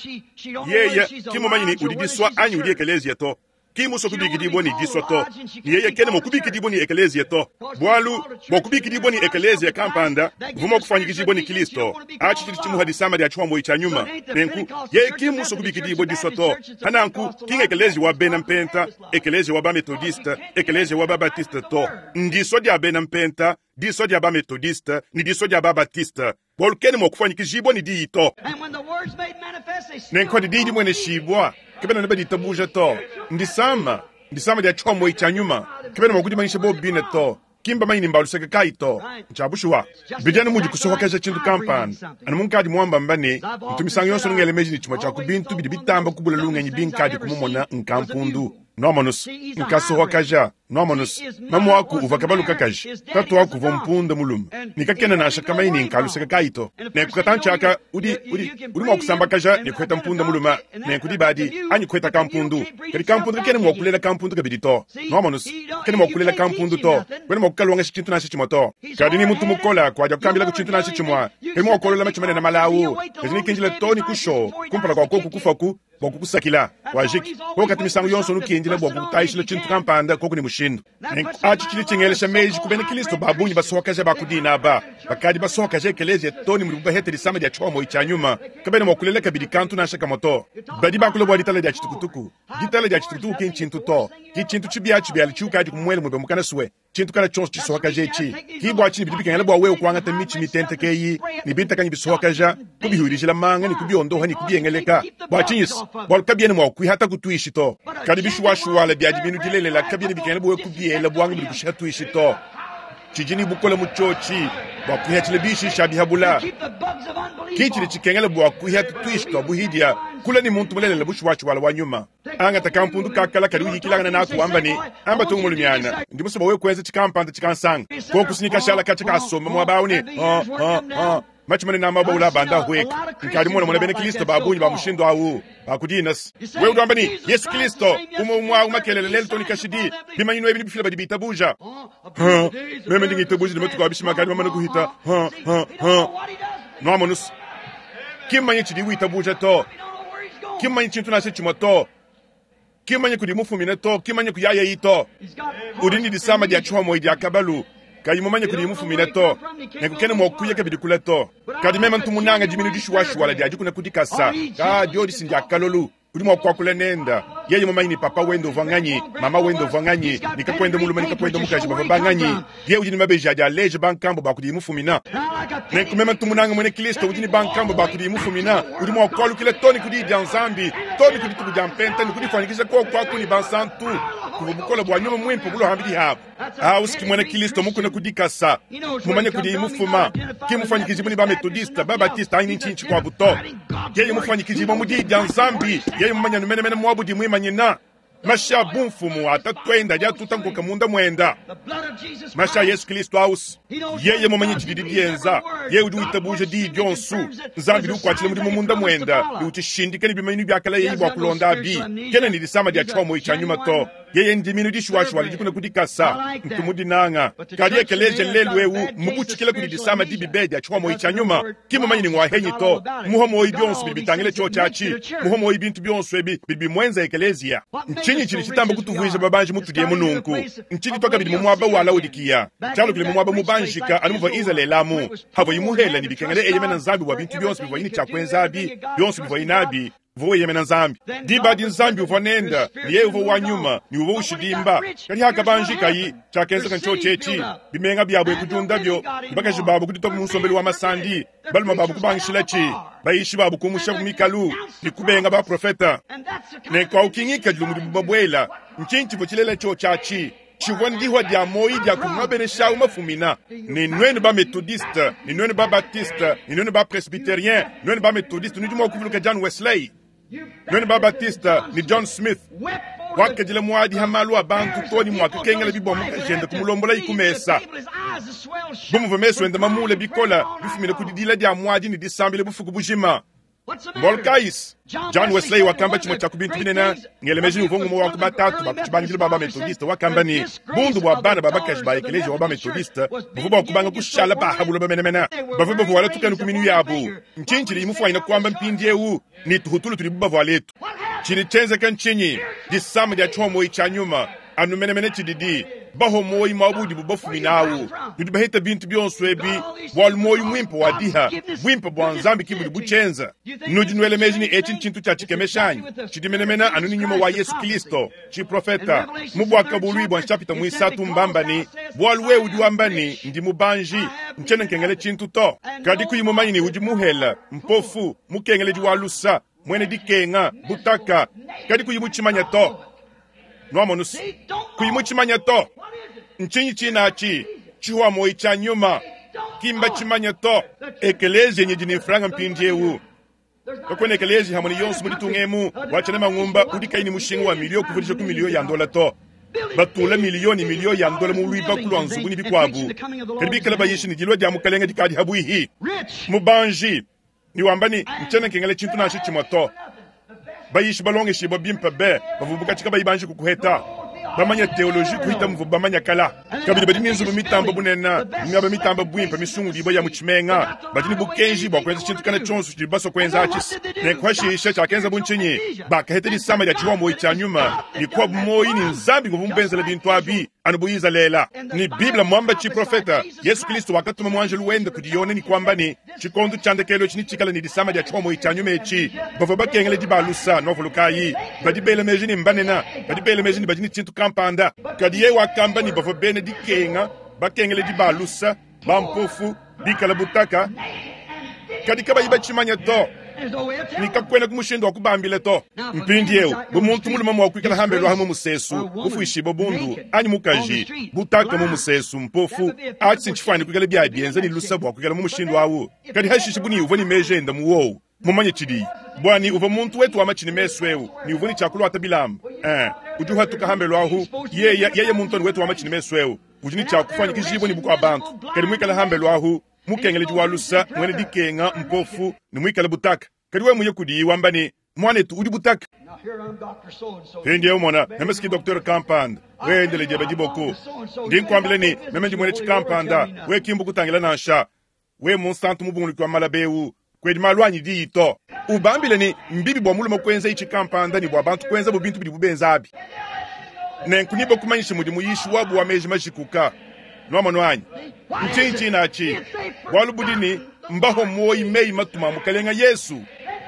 yeye kimumanyi ni udi diswa anyi udi ekelezia to. Kimuso kubikidibwa ni diswa to. Ni yeye kene mua kubikidibwa ni ekelezia to. Bualu bua kubikidibwa ni ekelezia kampanda vuma kufanyikishibwa ni Kristo. Achi chili chimuha disama dia tshiwa moyi tshia nyuma. Nenku yeye kimuso kubikidibwa diswa to. Hananku kinga ekelezia wa bena mpenta, ekelezia wa ba metodiste, ekelezia wa ba batiste to. Ndiswa dia bena mpenta, diswa dia ba metodiste, ni diswa dia ba batiste. Bualu kene mua kufanyikishibwa ni diyi to. Nenku adi diyi dimwene shibwa. Kabena ne baditabuja to. Ndisama, ndisama dia tshiwa moyi tshia nyuma. Kabena mua kudimanyisha bo bine to. Kimba manyi ni mbaluseka kai to. Ntshabushuwa. Bijana mudi kusohokesha tshintu kampanda. Anu munkadi muamba mbane, ntumisango yonso nungele meji ni tshimue tshia ku bintu bidi bitamba kubula lungenyi binkadi kumumona nkampundu. Noamonus, nkasohokasha, noamonus. Mamu aku uva kabaluka kaji. Tatu aku uva mpunda mulume. Nikakena nansha kamanyi ni nkaluseka kai to. Nenku katanchaka udi mua kusambakaja ni kuheta mpunda mulume. Nenku dibadi anyi kuheta kampundu. Kadi kampundu kakena mua kulela kampundu kabidi to. Noamonus, kakena mua kulela kampundu to. Kwena mua kukalongesha tshintu nansha tshimue to. Kadi ni muntu mukola kwaja kukambila ku tshintu nansha tshimue. Kadi mua kukolola matshimane na malawu. Kadi nikinjila to ni kusho. Kumpala kwa koku kufaku bua kukusakila wajiki kokati misango yonso nukindila bua kukutayishila tshintu kampanda koku ni mushindu. Achi chili tshingelesha meji ku bena Kristo babungi basohokasha bakudina aba. Bakadi basohokasha ekelezia to ni mudibu bahete disama dia tshiwa moyi tshia nyuma. Kabena mua kulela kabidi kantu nansha kamue to. Badi bakula bua ditala dia tshitukutuku. Ditala dia tshitukutuku ki ntshintu to. Ki tshintu tshibiatshibiali tshiukadi kumuele mwebe mukana suwe. Tshintu kana tshionso tshisohakaja etshi. Ki bua tshinyi bidi bikengela bua wewe kuangata mitshi mitenteke eyi ne bintakanyi bisohakaja, kubihuilijila manga ne kubiondoha ne kubiengeleka. Bua tshinyi? Bualu kabiena mua kuihata ku tuishi to. Kadi bishuwashuwala bia diminu dilelela kabiena bikengela bua wewe kubiela buanga budi bushiha tuishi to. Tshidi ne bukole mu tshiotshi bua kuihatshila bishi bia bihabula. Ki tshidi tshikengela bua kuihata tuishi tua buhidia, kula ne muntu mulelela bushuwashuwala wa nyuma. Angata kampundu ka kala kadi uyikilangana naku wamba ne, Amba tungu mulumiana, ndi musue bua wewe kuenza tshikampanda tshikansanga. Koku sinyi kashala katshia kasomba muaba au ne, ha, ha, ha, matshi manene a mabue ula abanda ahueka. Nkadi mumonamona bena Kristo ba bungi ba mushindu au ba ku dina se. Wewe udi wamba ne, Yesu Kristo, umue umue au makelela lelu too ne kashidi. Bimanyinu ebi nebifile badi bitabuja. Ha, meme ndi ngitabuja ne matuku a bishima akadi mamane kuhita. Ha, ha, ha. Nuamonu se, ki mmanye tshidi witabuja to. Ki mmanye tshintu nansha tshimue to. Ki mmanye kudi mufumine to. Ki mmanye kuyayeyi to. Udi ne disama dia tshihomoyi dia kabalu, kayi mumanye kudi mufumine to. Nenku kena mua kuya kabidi kule to. Kadi meme ntu munanga diminu dishuwashuwala dia dikuna ku dikasa. Ka diodi si ndia kalolu. Udi mua kuakula nenda yeye mumanye ne papa wende uvua nganyi, mama wende uvua nganyi, ne kakuende mulume ne kakuende mukaji bavua banganyi. Yeye udi ne mabeji adi aleja bankambua ba kudiye mufumina. Nenku meme ntu munanga muena Kristo udi ne bankambua ba kudiye mufumina, udi mua kualukila too ne ku Diyi dia Nzambi, too ne ku dituku dia Mpenta ne kudifuanyikija kuoku aku ne bansantu kuvua bukole bua Nyuma Muimpe bulua pambidi abu. Awu ki muena Kristo mukuna ku dikasa, mumanye kudiye mufuma, ki mufuanyikijibue ne ba-Metodiste, ba-Batiste anyi ntshinyi tshikuabu to. Yeye mufuanyikijibue mu Diyi dia Nzambi, yeye mumanye anu menemene muabu udi muimanyina. Mashi a bumfumu a tatuende adi atuta nkoka munda muenda. Mashi a Yesu Kristo ausi. Yeye mumanye tshididi dienza, yeye udi witabuja diyi dionso. Nzambi udi ukuatshila mudimu munda muenda ne utshishindika ne bimanyinu biakalayeyi bua kulonda abi. Kena ne disama dia tshihomoyi tshia nyuma to. Yeye ndiminu dishuwashuwa didi kuna ku dikasa, ntu mu dinanga. Kadi ekeleziya lelu eu mmubutshikila kudi disama dibi be dia tshihomoyi tshia nyuma. Ki mumanye ne ngua henyi to. Mmuha muoyo bionso bidi bitangila tshiotshi atshi. Muha muoyo bintu bionso ebi bidi bimuenza ekeleziya. Ntshinyi tshidi tshitamba kutuvuija babanji mutudi emu nunku? Ntshidi tua kabidi mu muaba wa Laodikiya, tshialukile mu muaba mubanjika anu muvua Izalele amu havuayi muhele ne bikengela eyemena Nzambi bua bintu bionso bivuayi ne tshia kuenza abi, bionso bivuayi nabi, uvua weyemena Nzambi. Diba adi Nzambi uvua nende, ne yeye uvua wa nyuma ne uvua ushidimba. Kadi hakabanjikayi, tshiakenzeka ntshiotshi etshi, bimenga biabo e kudiundabio, ne bakaji babo kuditoba mu nsombelu wa masandi, balume babo kubangishilatshi, bayishi babo kumushabu mikalu ne kubenga baprofete. Nenku au ki ngikadilu mudibu babuela. Ntshinyi tshivua tshilela tshiotshi atshi? Tshivua ndihua dia muoyo dia kudi mabenesha au mafumina. Ne nuenu ba Methodiste, ne nuenu ba Baptiste, ne nuenu ba Presbyterien, nuenu ba Methodiste nudi mua kuvuluka John Wesley, nuenu ba Baptiste ne John Smith wakadila muadi ha malu a bantu to ne muakakengela bibua mukajende kumulombolayi ku mesa. Bu muvua mesu ende mamule bikole bifumine ku didila dia muadi ne disambila bufuku bujima. Mbualu kayi? John Wesley wakamba tshimue tshia ku bintu binene, ngele meji ne uvua ngumue wa ku batatu ba ku tshibangidilu ba ba-Methodiste, wakamba ne, Bundu bua bana ba bakaji ba ekeleziya wa ba-Methodiste buvua bua kubanga kushala ba ha buloba menemene, bavua bavuala tukanu ku minu yabu. Ntshinyi tshidi mufuanyine kuamba mpindieu ne tuhutulu tudibu bavuala etu? Tshidi tshienzeka ntshinyi? Disama dia tshiomoyi tshia nyuma anu menemene tshididi bahua muoyo muaba udibu bafumina awu. Nudi baheta bintu bionso ebi bualu muoyo muimpe wa diha buimpe bua Nzambi ki budi butshienza. Nudi nuela meji ne etshi ntshintu tshia tshikemesha anyi? Tshidi menemene anu ne nyuma wa Yesu Kilisto tshiprofeta mu Buakabuluibua nshapita muisatu mbamba ne, bualu wewe udi wamba ne, ndi mubanji, ntshiena nkengela tshintu to, kadi kuyi mumanye ne udi muhele, mpofu, mukengeledi wa lusa, muena dikenga, butaka, kadi kuyi mutshimanya to. Nuamonu se, kuyi mutshimanya to. Ntshinyi tshinatshi? Tshihua muoyi tshia nyuma. Ki mbatshimanya to. Ekeleziya nyidi ne mfranga mpindieu. Kakuena ekeleziya hamue ne yonso mu ditunga emu wa tshiena mangumba udi kayi ne mushinga wa miliyo kuvudija ku miliyo ya ndola to. Batula miliyo ne miliyo ya ndola mu luibaku lua nzubu ne bikuabu, kadi bikale bayisha ne dilua dia Mukalenge dikadi habuihi. Mubanji ne wamba ne, Ntshiena nkengela tshintu nansha tshimue to. Bayishi balongeshibua bimpe be bavua bukatshi kabayi banji kukuheta, bamanya teoloji kuhita muvua bamanya kala. Kabidi badi ne nzubu mitamba bunene, miaba mitamba buimpe misungudibua ya mu tshimenga. Badi ne bukenji bua kuenza tshintu kana tshionso tshidibu basua kuenza atshi. Nenku hashishe tshiakenzabu ntshinyi? Bakaheta disama dia tshihuamuoyi tshia nyuma ne kuabu muoyi ne Nzambi nguvua mubenzela bintu abi. Anu bu Izalele ne Bible muamba tshiprofeta, Yesu Kristo wakatuma muanjelu wende kudi Yone ne kuamba ne, tshikondo tshia ndekelu etshi netshikale ne disama dia tshihomoyi tshia nyuma etshi. Bavua bakengela dibalusa, nuavulukayi. Badi bela meji ne mbanene, badi bela meji ne badi ne tshintu kampanda. kampanda. Kadi yeye wakamba ne bavua bena dikenga, bakengeledi ba lusa, bampofu, bikale butaka, kadi kabayi batshimanya to, ne kakuena mushindu wa kubambila to. Mpindieu bu muntu mulume mua kuikala hambelu aha mu musesu, mufuishibue bundu, anyi mukaji butaka mu musesu, mpofu, atshi ntshifuane kuikala bia bienza ne lusa bua kuikala mu mushindu awu. Kadi hashishe bu ne uvua ne meji enda mu wowu, mumanye tshidiyi, bua ne uvua muntu wetu wa matshi ne mesu eu, ne uvua ne tshiakuluata bilamba, udi uhatuka hambelu ahu, yeye yeye muntu wetu wa matshi ne mesu eu, udi ne tshiakufanyikijibua ne bukua bantu, kadi muikale hambelu ahu, mukengeledi wa lusa, mwene dikenga, mpofu, ne muikale butaka. Kadi wewe muye kudiyi wamba ne, mwanetu udi butaka. Mpindieu mona, meme siki docteur kampanda, wendele diebe diboko. Ndi nkuambila ne, meme ndi mwene tshikampanda, we kimbu kutangila nansha. We munsantu mubunguluki wa malabeu, kwedi malu anyi diyi to. Ubambile ne, mbibi bua mulume kuenza itshi kampanda ne bua bantu kuenza bu bintu bidibu benza abi. Nenku niba kumanyisha mudi muyishi wabu wa meji majikuka. Nwamonu anyi? Ntshinyi tshinatshi? Bualu budi ne, mbaho moyi meyi matuma mukalenga Yesu.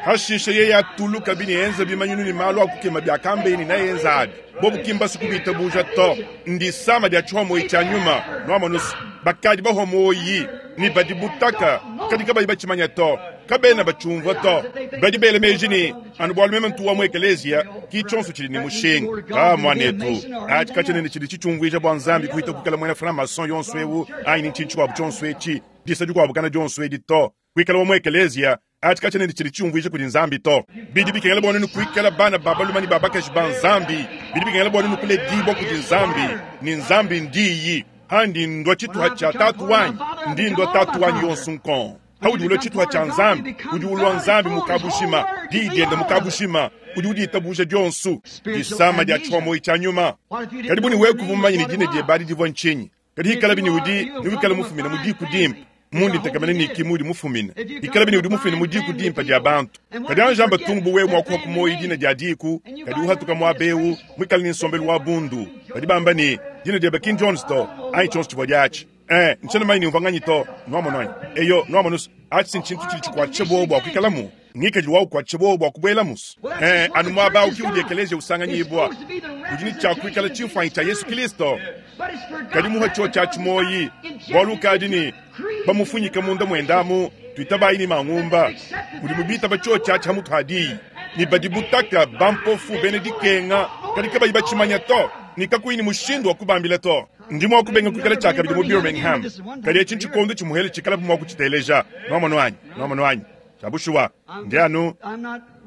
Hashishe yeye atuluka bini enza bimanyinu ne malu akukema bya kambeni na yenza abi. Bobu kimbasu kubitabuja to. Ndisama dia tshihomoyi tshia nyuma. Nwamonu bakadi bahomoyi ni badi butaka kadi kabayi batshimanya to. Kabena bachumvua to. Badi bela meji ni anu bualu meme ntu wa mu ekeleziya ki tshionso tshidi ne mushinga. Ka mwanetu, atshi katshiena tshidi tshitshiumvuija bua Nzambi kuhita kuikala muena franc-maçon yonso ewu anyi ni tshintu tshikuabu tshionso etshi, disa dikuabu kana dionso edi to. Kuikala wa mu ekeleziya atshi katshiena tshidi tshiumvuija kudi Nzambi to. Bidi bikengela bua nunu kuikala bana ba balume ne ba bakaji ba Nzambi. Bidi bikengela bua nunu kuledibua kudi Nzambi, ne Nzambi ndiyi. Handi ndua tshituha tshia tatu wanyi, ndi ndua tatu wanyi yonso nkon. Haudi ulua tshituha tshia Nzambi, udi ulua Nzambi mukabushima, diyi diende mukabushima, udi uditabuja dionso. Disama dia tshihomoyi tshia nyuma. Kadi buni wewe kuvumanya ne dina diebe adi divua ntshinyi? Kadi hikala bini udi niwikala mufumina mu diku dimpe, mundi ntekamene ne ki mudi mufumina. Hikala bini udi mufumina mu diku dimpe dia bantu. Kadi anjamba tungu bu wewe mua kuha ku moyi dina dia diku, kadi uhatuka muaba eu, muikale ne nsombelu wa bundu. Badi bamba ne, dina diebe King Jones to, anyi tshionso tshivua diatshi. Ntshiena manyi ne umvua nganyi to, nwamonu anyi? Eyo, nwamonu atshi ntshintu tshidi tshikuatshisha bobu bua kuikalamu. Ngikadilu wa ukuatshisha bobu bua kubuelamu. Anu muaba au ki udi ekeleziya usanganyibua. Udi ne tshia kuikala tshimfuanyi tshia Yesu Kristo. Kadi muha tshio tshia tshimoyi, bualu ukadi ne bamufunyika munda muendamu, tuitabayi ne mangumba. Udi mubitaba tshio tshia tshia mutu hadiyi. Ne badi butaka bampofu bena dikenga, kadi kabayi batshimanya to, ne kakuyi ne mushindu wa kubambila to. Ndi mua kubenga kuikala tshiakabidi mu Birmingham. Kadi etshi ntshikondo tshimuhele tshikalabu mua kutshiteleja. Nwamonu anyi? Nwamonu anyi? Tshiabushuwa, ndi anu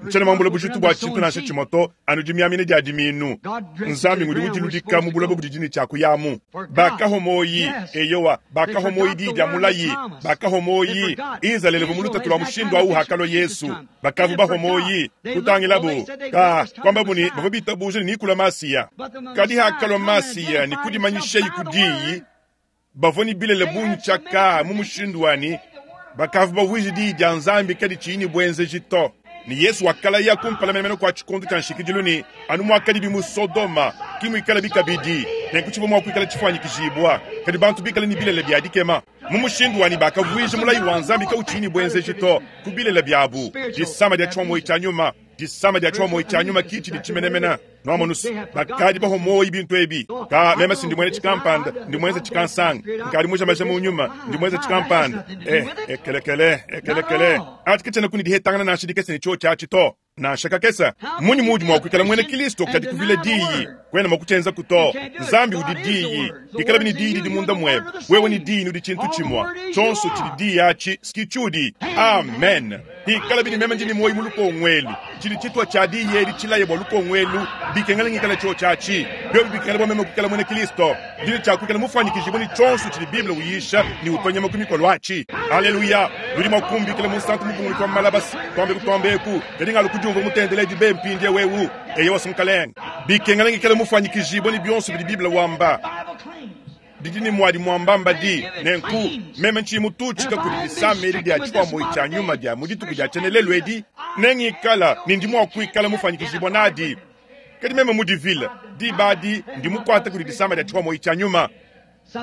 ntshiena muambule bujitu bua tshintu nansha tshimue to, anu dimiamina dia diminu. Nzambi ngudi udiludika mu buloba budi dine tshiakuyamu. Bakahomoyi, eyowa, bakahomoyi diyi dia mulayi, bakahomoyi Izalele mu lutatu lua mushindu awu hakalua Yesu. Bakavu bahomoyi kutangilabu ka kwamba buni bavua bitabuja ne nikula Masiya. Kadi hakalua Masiya ne kudimanyishayi ku diyi, bavua ne bilele bungi tshiaka mu mushindu wani, bakavu bavuije diyi dia Nzambi kadi tshiyi ne buenzeji to. Ne Yesu wakalaya kumpala menemene kua tshikondo tshia nshikidilu ne anu muakadi bi mu Sodoma ki muikala bikabidi, nenku tshivua mua kuikala tshifuanyikijibua, kadi bantu bikale ne bilele bia dikema. Mu mushindu wani bakavuija mulayi wa Nzambi kautshiyi ne buenzeji to ku bilele biabu. Disama dia tshihomoyi tshia nyuma, disama dia tshihomoyi tshia nyuma ki tshidi tshimenemene. Nwamonu bakadi bahomoyi bintu ebi. Ka meme si ndi mwene tshikampanda, ndi mwenza tshikansanga, nkadi muja maja mu nyuma, ndi mwenza tshikampanda. Ekelekele, ekelekele. Atshi katshiena kuni dihetangana nansha dikese ne tshio tshiatshi to. Nansha kakesa, munyi mudi mua kuikala mwene Kristo kadi kuvila diyi, kwena mua kutshienza kuto. Nzambi udi diyi, ikala bini diyi didi munda muebe. Wewe ni diyi nudi tshintu tshimue. Tshionso tshidi diyi atshi ski tshudi. Amen. Ikala bini meme ndi ne moyi mu lukongwelu. Tshidi tshitwa tshia diyi edi tshilaye bua lukongwelu, bikengela ngikala tshio tshiatshi. Biobi bikengela bua meme kuikala mwene Kristo. Ndi tshia kuikala mufuanyikijibue ne tshionso tshidi Bible uyisha ne utonya makumi mikolo atshi. Haleluya. Nudi mua kumbikila munsantu mukunguluki wa malabasi, twambe kutwambeku, kadi ngalu kudiumvua mutendeledi be mpindie wewu. Eye wasunkalenga. Bikengela ngikala mufuanyikijibue ne bionso bidi Bible wamba. Didi ne mwadi mwambamba di, nenku meme ntshiyi mututshika kudi disama edi dia tshikwamboyi tshia nyuma dia mu dituku dia tshienelelu edi, nengikala ne ndi mua kuikala mufuanyikijibua nadi. Kadi meme mudivile, diba adi ndi mukuate kudi disama dia tshikwamboyi tshia nyuma.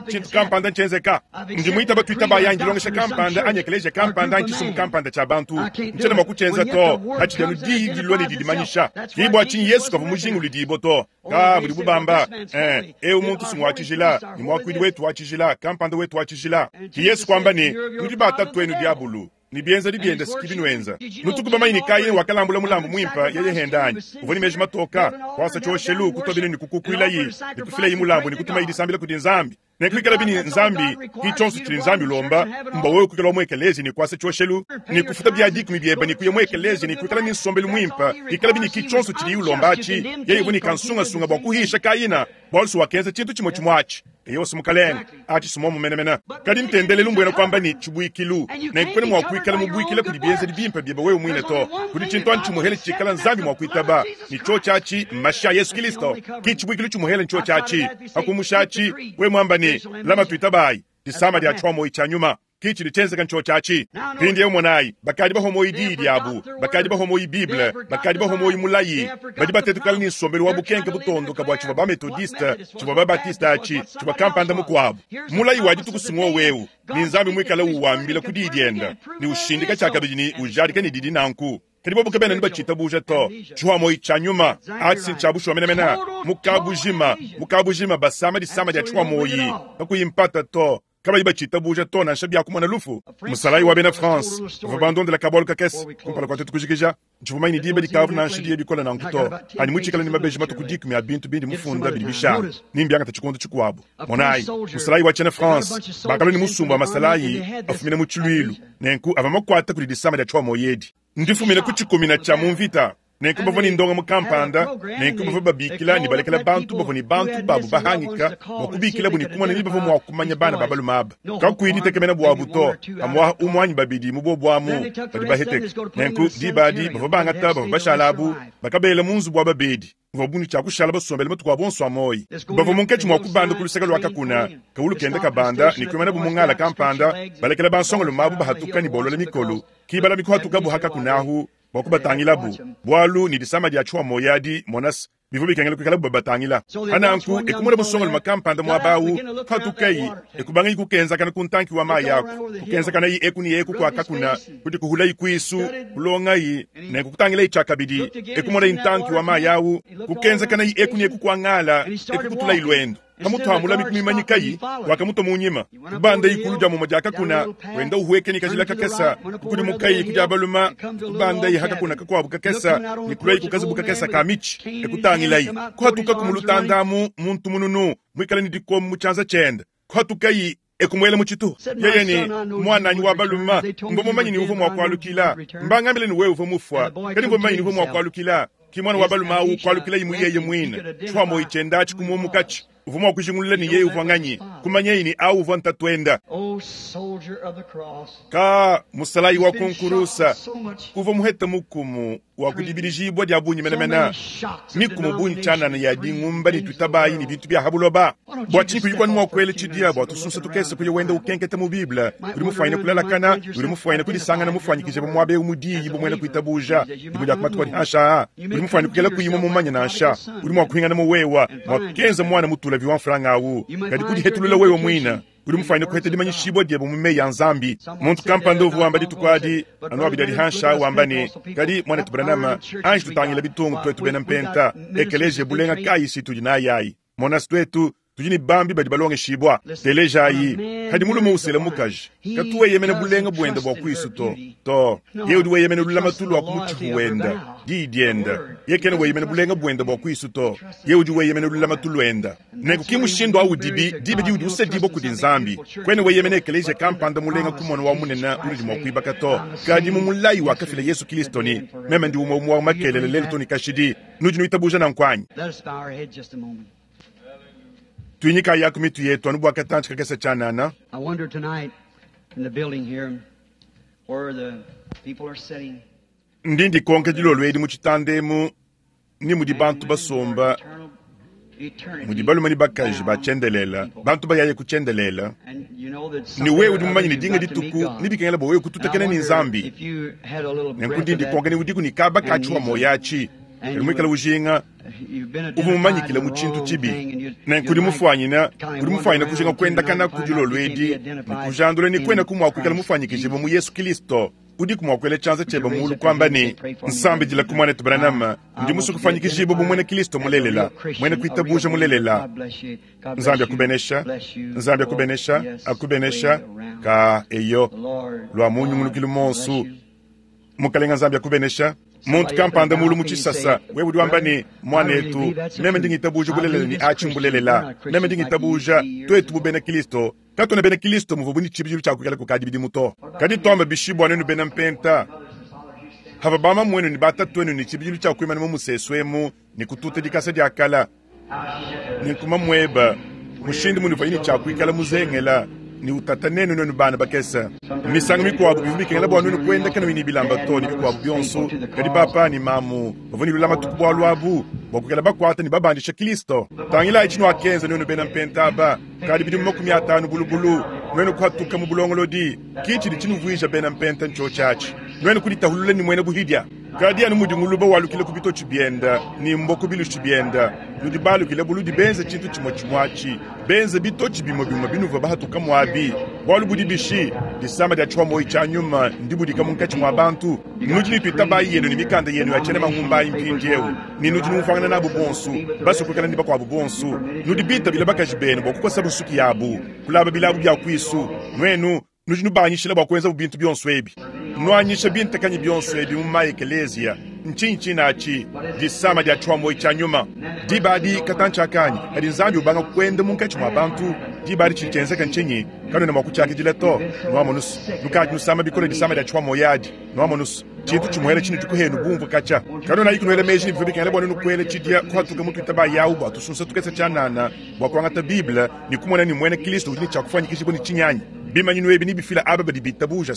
Tshintu kampanda ntshienzeka. Ndi muitaba tuitabayi anyi dilongesha kampanda anyi ekeleziya kampanda anyi tshisumbu kampanda tshia bantu. Ntshiena mua kutshienza to. Patshidi anu Diyi dilua ne didimanyisha. Ki bua tshinyi Yesu kavua mujinguludibue to. Ka budibu bamba, eh, eu muntu si ngua tshijila, ne muakuidi wetu wa tshijila, kampanda wetu wa tshijila. Ki Yesu kuamba ne, Nudi ba tatuenu diabulu, ne bienzedi biende si ki binuenza. Nutuku bamanye ne Kayine wakalambula mulambu muimpe yeye hende anyi? Uvua ne meji matoka, kuasa tshioshelu, kutua binu ne kukukuilayi, ne kufilayi mulambu ne kutumayi disambila kudi Nzambi. Nenku ikalabi ne Nzambi, ki tshionso tshidi Nzambi ulomba, mbua wewe kuikala wa mu ekelezia ne kuasa tshioshelu, ne kufuta bia dikumi biebe ne kuya mu ekelezia ne kuikala ne nsombelu muimpe. Ikalabi ne ki tshionso tshidiye ulomba atshi. Yeye uvua ne kansungasunga bua kuhisha Kayina, bualu si wakenza tshintu tshimue tshimue atshi. Eyowa, si Mukalenge, atshi si muomu menemene. Kadi ntendelelu mbuena kuamba ne tshibuikilu. Nenku kuena mua kuikala mubuikila kudi bienzedi bimpe biebe wewe muine to. Kudi tshintu anu tshimuhele tshikala Nzambi mua kuitaba, ne tshiotshi atshi mmashi a Yesu Kilisto. Ki tshibuikilu tshimuhele ntshiotshi atshi. Pa kumusha atshi, wewe muamba ne, Lama tuitabayi, disama dia tshiwa-muoyi tshia nyuma, ki tshidi tshienzeka ntshiotshi atshi. Mpindieu monayi, bakadi bahua muoyi diyi diabu, bakadi bahua muoyi Bible, bakadi bahua muoyi mulayi, badi batetukala ne nsombelu wa bukenke butondoka bua tshivua ba-Methodiste, tshivua ba-Baptiste atshi, tshivua kampanda mukuabu. Mulayi wa dituku si ng'wowu eu, ne Nzambi muikale uwambila ku diyi diende, ne ushindika tshiakabidi ne ujadika ne didi nanku. Kadi bobu kabena anu batshitabuja to. Tshihuamoyi tshia nyuma atshi ntshia bushuwa menemene. Mu kabujima, mu kabujima basama disama dia tshihuamoyi kakuyi mpata to, kabayi batshitabuja to nansha bia kumona lufu. Musalayi wa bena France bavua bandondela kabualu kakese kumpala kua tuetu kujikija. Ntshivua mumanye ne diba dikavua nansha diya bikole nanku to, anyi mutshikale ne mabeji matue ku dikumi a bintu bindi mufunda bidi bishala, ne mbiangata tshikondo tshikuabu. Monayi, musalayi wa tshiena France bakalua ne musumba wa masalayi afumina mu tshiluilu, nenku avua makuata kudi disama dia tshihuamoyi edi. Ndifumine ku tshikumina tshia mu mvita. Nenku bavua ne ndongamu kampanda, nenku bavua babikila ne balekela bantu bavua ne bantu babu bahangika bua kubikilabu ne kumona ni bavua mua kumanya bana ba balume aba. Kakuyi ditekemena buabu to, pamuaha umue anyi babidi mu bobu amu badi baheteke. Nenku diba adi bavua bangata bavua bashala abu, bakabela mu nzubu wa babedi. Bavua ne tshia kushala basombele matuku abu onso a muoyo. Bavua munkatshi mua kubanda ku luseke lua kakuna, kawulu kenda kabanda ne kuimanabu mu ngala kampanda, balekela bansongalume abu bahatuka ne bolola mikolo. Ki balami kuhatukabu ha kakuna ahu bua kubatangilabu, bualu ne disama dia tshua muoyo adi, monas, bivua bikengela kuikalabu babatangila. Pa nanku, e kumona musongalume kampanda muaba au, kuhatukayi, e kubangayi kukenzakana ku ntanki wa mayi aku, kukenzakanayi eku ne eku kua kakuna, kudikuhulayi kuisu, kulongayi, nenku kutangilayi tshiakabidi, e kumonayi ntanki wa mayi au, kukenzakanayi eku ne eku kua ngala, e kukutulayi luendu. Pamutu ha mulami kumimanyikayi, wakamutua mu nyima, kubandayi kulu dia mumue dia kakuna, wenda uhueka ne kajila kakese, kukudimukayi ku dia balume, kubandayi ha kakuna kakuabu kakese, ne kuluayi ku kazubu kakese ka mitshi, e kutangilayi, kuhatukaku mu lutanda amu muntu mununu, muikale ne dikombo mu tshianza tshiende, kuhatukayi, e kumuela mu tshituha. Yeye ne, Muananyi wa balume, mvua mumanye ne uvua mua kualukila. Mbangambile ne wewe uvua mufua, kadi mvua mumanye ne uvua mua kualukila. Ki muana wa balume au kualukilaye mu yeye muine. Tshua-muoyo tshiende atshi kumuomokatshi. Uvua mua kujingulula ne yeye uvua nganyi, kumanyaye ne au uvua ntatuende. Ka musalayi wa ku nkurusa uvua muhete mukumu wa ku dibidijibua dia bungi menemene, mikumu bungi tshianana ya dingumba ne tuitabayi ne bintu bia ha buloba. Bua tshinyi kuyi kuanu mua kuela tshidia bua tusunsa tukese kuya wenda ukenketa mu Bible? Udi mufuanyine kulalakana, udi mufuanyine kudisangana mufuanyikije pa muaba eu mu diyi bu muena kuitabuja dimue dia ku matuku adi hanshi aa. Udi mufuanyine kuikala kuyi mumumanye nansha. Udi mua kuhingana mu wewa muakenza muana mutulavi wa mfranga au, kadi kudihetulula wewe muine. Udi mufuanyine kuheta dimanyishibua diebe mu meyi a Nzambi. Muntu kampanda uvua wamba dituku adi, anu abidi adi hanshi aa, wamba ne, Kadi, muanetu Branham, anji tutangila bitungu tuetu bena Mpenta, ekeleziya bulenga kayi si tudi nayi ayi? Mona, tuetu tudi ne bambi badi balongeshibua. Telejayi, padi mulume usela mukaji, katu weyemena bulenga buende bua kuisu to. To, yeye udi weyemena lulamatu lua ku mutshipu wende, diyi diende. Yeye kena weyemena bulenga buende bua kuisu to, yeye udi weyemena lulamatu luende. Nenku ki mushindu au udibi diba diudi usedibua kudi Nzambi. Kuena weyemena ekeleziya kampanda mulenga kumona wa munene unudi mua kuibaka to, kadi mu mulayi wakafila Yesu Kilisto ne, Meme ndi umue umue wa makelela lelu too ne kashidi. Nudi nuitabuja nanku anyi? Tuinyikayaku mitu yetu anu bua katantshi kakese tshianana. Ndi ndikonka dilolo edi mu tshitanda emu ni mudi bantu basomba, mudi balume ne bakaji ba tshiendelela, bantu bayaye ku tshiendelela, ne wewe udi mumanye ne dinga dituku nebikengela bua wewe kututakena ne Nzambi. Nenku ndi ndikonka ne udiku ne kaba ka tshiwa muoyo atshi. Kadi muikale ujinga, uvua mumanyikile mu tshintu tshibi. Nenku udi mufuanyine, udi mufuanyine kujinga kuendakana ku dilolo edi ne kujandula ne kuenaku mua kuikala mufuanyikijibue mu Yesu Kilisto. Udiku mua kuela tshianza tshiebe muulu kuamba ne, Nsambidilaku, Muanetu Branham, ndi musue kufuanyikijibua bu muena Kilisto mulelela, muena kuitabuja mulelela. Nzambi akubenesha, Nzambi akubenesha, akubenesha. Ka eyo, lua mu nyungulukilu monsu. Mukalenga Nzambi akubenesha. Muntu kampanda mulu mu tshisasa, wewe udi wamba ne, Muanetu, meme ndi ngitabuja bulelela ne atshi mbulelela. Meme ndi ngitabuja, tuetu bu bena Kilisto, katuena bena Kilisto muvuabu ne tshibidilu tshia kuikala kukadi bidimu to. Kadi tuamba bishi bua nuenu bena mpenta, pavua bamamuenu ne batatuenu ne tshibidilu tshia kuimana mu musesu emu ne kututa dikasa dia kala, ne nkuma mueba mushindu munuvuaye ne tshia kuikala muzengela ne utata nenu nuenu bana bakese. Misangu mikuabu bivua bikengela bua nuenu kuenda kanuyi ne bilamba to ne bikuabu bionso, kadi papa ne mamu bavua ne lulamatu ku bualu abu bua kuikala bakuata ne babandisha Kristo. Tangilayi tshinuakenza nuenu bena mpenta aba kadi bidimu 50 bulubulu, nuenu kuhatuka mu bulongolodi, ki tshidi tshinuvuija bena mpenta ntshiotshi atshi, nuenu kuditahulula ne muena buhidia. Kadi anu mudi nguluba walukila ku bitotshi bienda ne mbua ku bilushi bienda, nudi balukile buludi benze tshintu tshimue tshimue atshi, benze bitotshi bimue bimue binuvua bahatuka muabi. Bualu budi bishi? Disama dia tshihua-muoyo tshia nyuma ndibudika munkatshi mua bantu. Nudi ne tuitabayi yenu ne mikanda yenu ya tshiena mangumbayi mpindieu, ne nudi numvuangana nabu bonso, basue kuikala ne bakuabu bonso. Nudi bitabile bakaji benu bua kukosabu nsuki yabu, kulaba bilabu bia kuisu. Nuenu nudi nubanyishila bua kuenzabu bintu bionso ebi. Nuanyisha bintakanyi bionso ebi mu ma-ekeleziya. Ntshinyi tshinatshi? Disama dia tshihua-muoyo tshia nyuma. Diba adi katantshi akanyi kadi Nzambi ubanga kuenda munkatshi mua bantu. Diba adi tshidi tshienzeka ntshinyi? Kanuena mua kutshiakidila to. Nuamonu's, nukadi nusama bikole disama dia tshihua-muoyo adi. Nuamonu's, tshintu tshimuele tshinudi kuhenu bumvue katshia. Kanuenayi kunuela meji ne bivua bikengela bua nuenu kuela tshidia kuhatuka mu tuitabayi awu bua tusunsa tukese tshianana bua kuangata Bible ne kumona ne muena Kristo udi ne tshia kufuanyikijibua ne tshinyi anyi? Bimanyinu ebi nebifila aba badi bitabuja.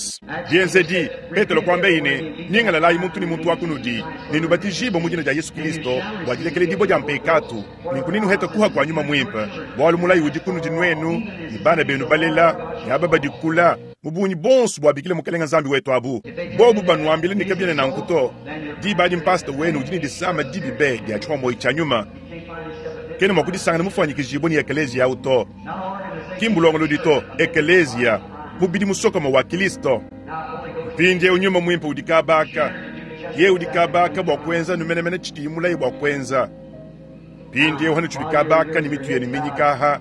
Bienzedi, Petelo kuambaye ne, Nyingalalayi muntu ne muntu wa kunudi, ne nubatijibue mu dina dia Yesu Kristo bua dilekeledibua dia mpekatu, nenku nenuhete kuha kua Nyuma Muimpe, bualu mulayi udi kunudi nuenu ne bana benu balela ne aba badi kula, mu bungi bonso buabikila Mukelenge Nzambi wetu abu. Bobu banuambile ne kabiena nanku to, diba adi mpasata wenu udi ne disama dibi be dia tshihua-muoyo tshia nyuma, kena mua kudisangana mufuanyikijibue ne ekeleziya au to. Ki mbulongolodi to, ekeleziya, mubidi musokome wa Kilisto. Mpindieu Nyuma Muimpe udi kaba aka. Yeye udi kaba aka bua kuenza anu menemene tshidiye mulaye bua kuenza. Mpindieu hanutshidi kaba aka ne mitu yenu minyika aha,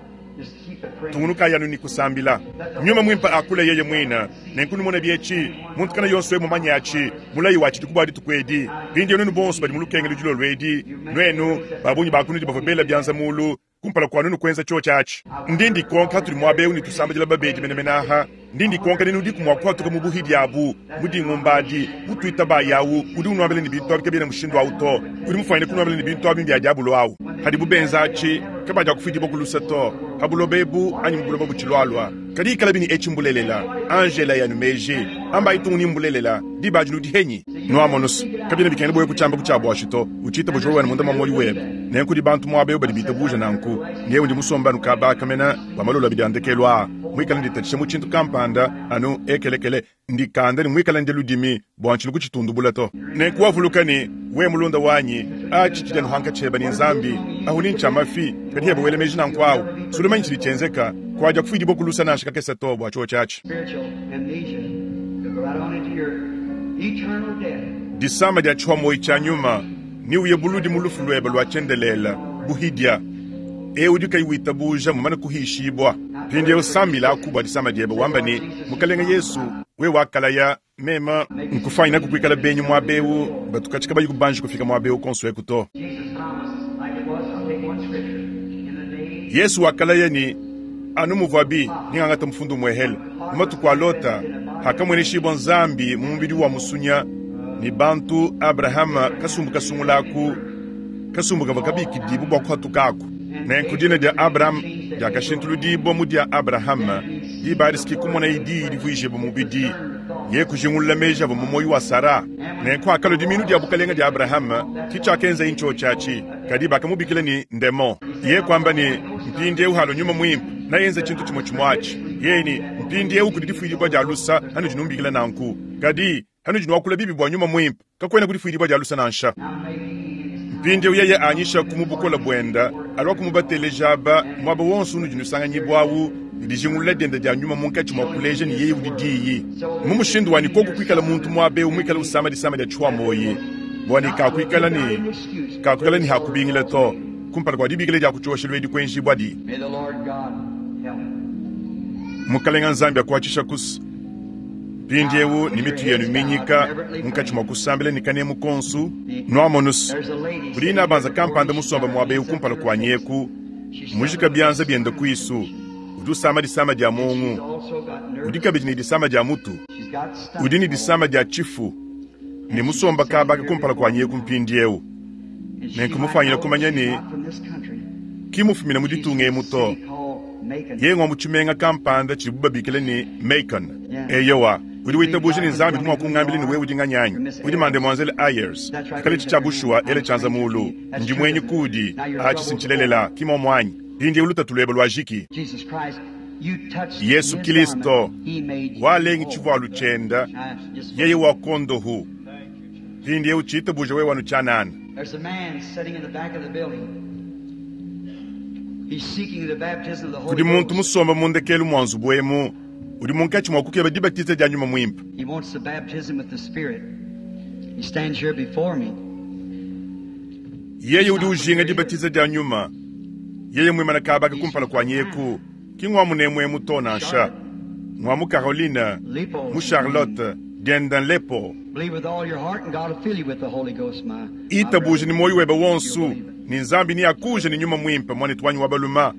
tungunukayi anu ne kusambila. Nyuma Muimpe akule yeye muine. Nenku numone bietshi, muntu kana yonso eu mumanye atshi, mulayi wa tshidi ku bua dituku edi. Mpindieu nuenu bonso badi mu lukengelu dilolo edi, nuenu, ba bungi ba kunudi bavua bela bianza mulu, kumpala kua nuenu kuenza tshiotshi atshi. Ndi ndikonka hatudi muaba eu ne tusambidila babedi menemene aha. Ndi ndikonka ne nudiku mua kuhatuka mu buhidi abu, mu dingumba adi, mu tuitabayi awu udi unuambila ne bintu abi kabiena mushindu awu to, udi mufuanyine kunuambila ne bintu abi mbia diabolo awu. Hadibu benza atshi, kabadiakufidibua ku luse to, ha buloba ebu anyi mu buloba butshilualua. Kadi ikalabi ne etshi mbulelela, anji elayi anu meji, ambayi tung ne mbulelela, diba adi nudi henyi? Nuamonus, kabiena bikengela bua wewe kutshiamba ku tshia buashi to, utshitabuja wewe anu munda mua muoyo webe. Nenku kudi bantu muaba eu badi bitabuja nanku. Nyewe ndi musombe anu kaba aka mena bua malolo abidi a ndekelu aa, muikale nditatshisha mu tshintu kampanda anu ekelekele, ndikanda ne muikale ndya ludimi bua ntshilu kutshitundubula to. Nenku wavuluka ne, we mulunda wanyi, atshi tshidi anu hankatshi heba ne Nzambi, ahu ni ntshia mafi, kadi heba wela meji nanku awu, sulumanyi tshidi tshienzeka, kuadia kufuidibua ku lusa nansha kakese to bua tshiotshi atshi. Disama dia tshihua muoyo tshia nyuma, neuye buludi mu lufu luebe lua tshiendelele, buhidia. Eu udi kayi witabuja mumane kuhishibua. Mpindieu sambilaku bua disama diebe, wamba ne, Mukelenge Yesu, wewe wakalaya, meme nkufanyinaku kuikala benyi muaba eu, batu katshi kabayi kubanji kufika muaba eu konso eku to. Yesu wakalaya ne, anu muvuabi ningangata mufundu muehele mu matuku a Lota, hakamueneshibua Nzambi mu mubidi wa musunya ne bantu, Abrahama kasumbu kasungulaku, kasumbu kavua kabikidibue bua kuhatukaku. Nenku dina dia Abram diakashintuludibua mu dia Abrahama, diba adi ski kumonaye diyi divuijibua mubidi, ye kujingulula meji avua mu muoyo wa Sara. Nenku hakalua dimiinu dia bukalenge dia Abrahama, ki tshiakenzaye ntshiotshi atshi, kadi bakamubikila ne ndemon. Ye kuamba ne, Mpindieu halua Nyuma Muimpe, nayenze tshintu tshimue tshimue atshi. Yeye ne, Mpindieu kudi difuidibua dia lusa, hanudi numbikila nanku. Kadi hanudi nuakula bibi bua Nyuma Muimpe, kakuena ku difuidibua dia lusa nansha. Mpindieu yeye anyishaku mu bukole buenda, aluaku mubateleja aba muaba wonso unudi nusanganyibua awu, ne dijingulula dienda dia nyuma munkatshi mua kuleja ne yeye udi Diyi. Mu mushindu wa ne koku kuikala muntu muaba eu muikala usama disama dia tshihuamoyi, bua ne kakuikala ne kakuikala ne hakubingila to kumpala kua dibikila dia ku tshioshelu edi kuenjibuadi. Mukalenga Nzambi akuatshisha kus mpindieu ne mitu yenu minyika munkatshi mua kusambila ne kanemu konsu. Nuamonus, kudi inabanza kampanda musomba muaba eu kumpala kuanyi eku, mujika bianza biende kuisu, udi usama disama dia muongu, udi kabidi ne disama dia mutu, udi ne disama dia tshifu, ne musomba kabaka kumpala kuanyi eku mpindieu. Nenku mufwanyine kumanya ne ki mufumine mu ditunga emu to. Yeye ngwa mu tshimenga kampanda tshidibu babikila ne Macon. Eyowa, udi witabuja ne Nzambi udi mua kungambila ne wewe udi nganyi anyi? Udi Mademoiselle Ayers. Pikala etshi tshia bushuwa, ela tshianza muulu. Ndi muenyi kuudi. Atshi si ntshilelela, ki muomu anyi? Mpindieu lutatu luebe luajiki. Yesu Kilisto walengi tshivualu tshienda, yeye wakondohu. Mpindieu tshitabuja wewe anu tshianana. There's a man sitting in the back of the building. He's seeking the baptism of the Holy Kudi muntu Ghost. musomba mu ndekelu mua nzubu emu udi munkatshi mua kukeba dibatiza dia nyuma muimpe. He wants the baptism with the Spirit. He stands here before me. Yeye udi ujinga dibatiza dia nyuma. Yeye muimana kabaka kumpala kuanyi eku, ki ngua munemu emu to nansha. Ngua mu Caroline, Lepo. mu Charlotte, dienda Lepo. Believe with all your heart and God will fill you with the Holy Ghost, my Itabuje brother. ni moyo webe You'll wonsu, believe it. ni Nzambi ni akuje ni nyuma mwimpe mwanetu wanyi wa baluma.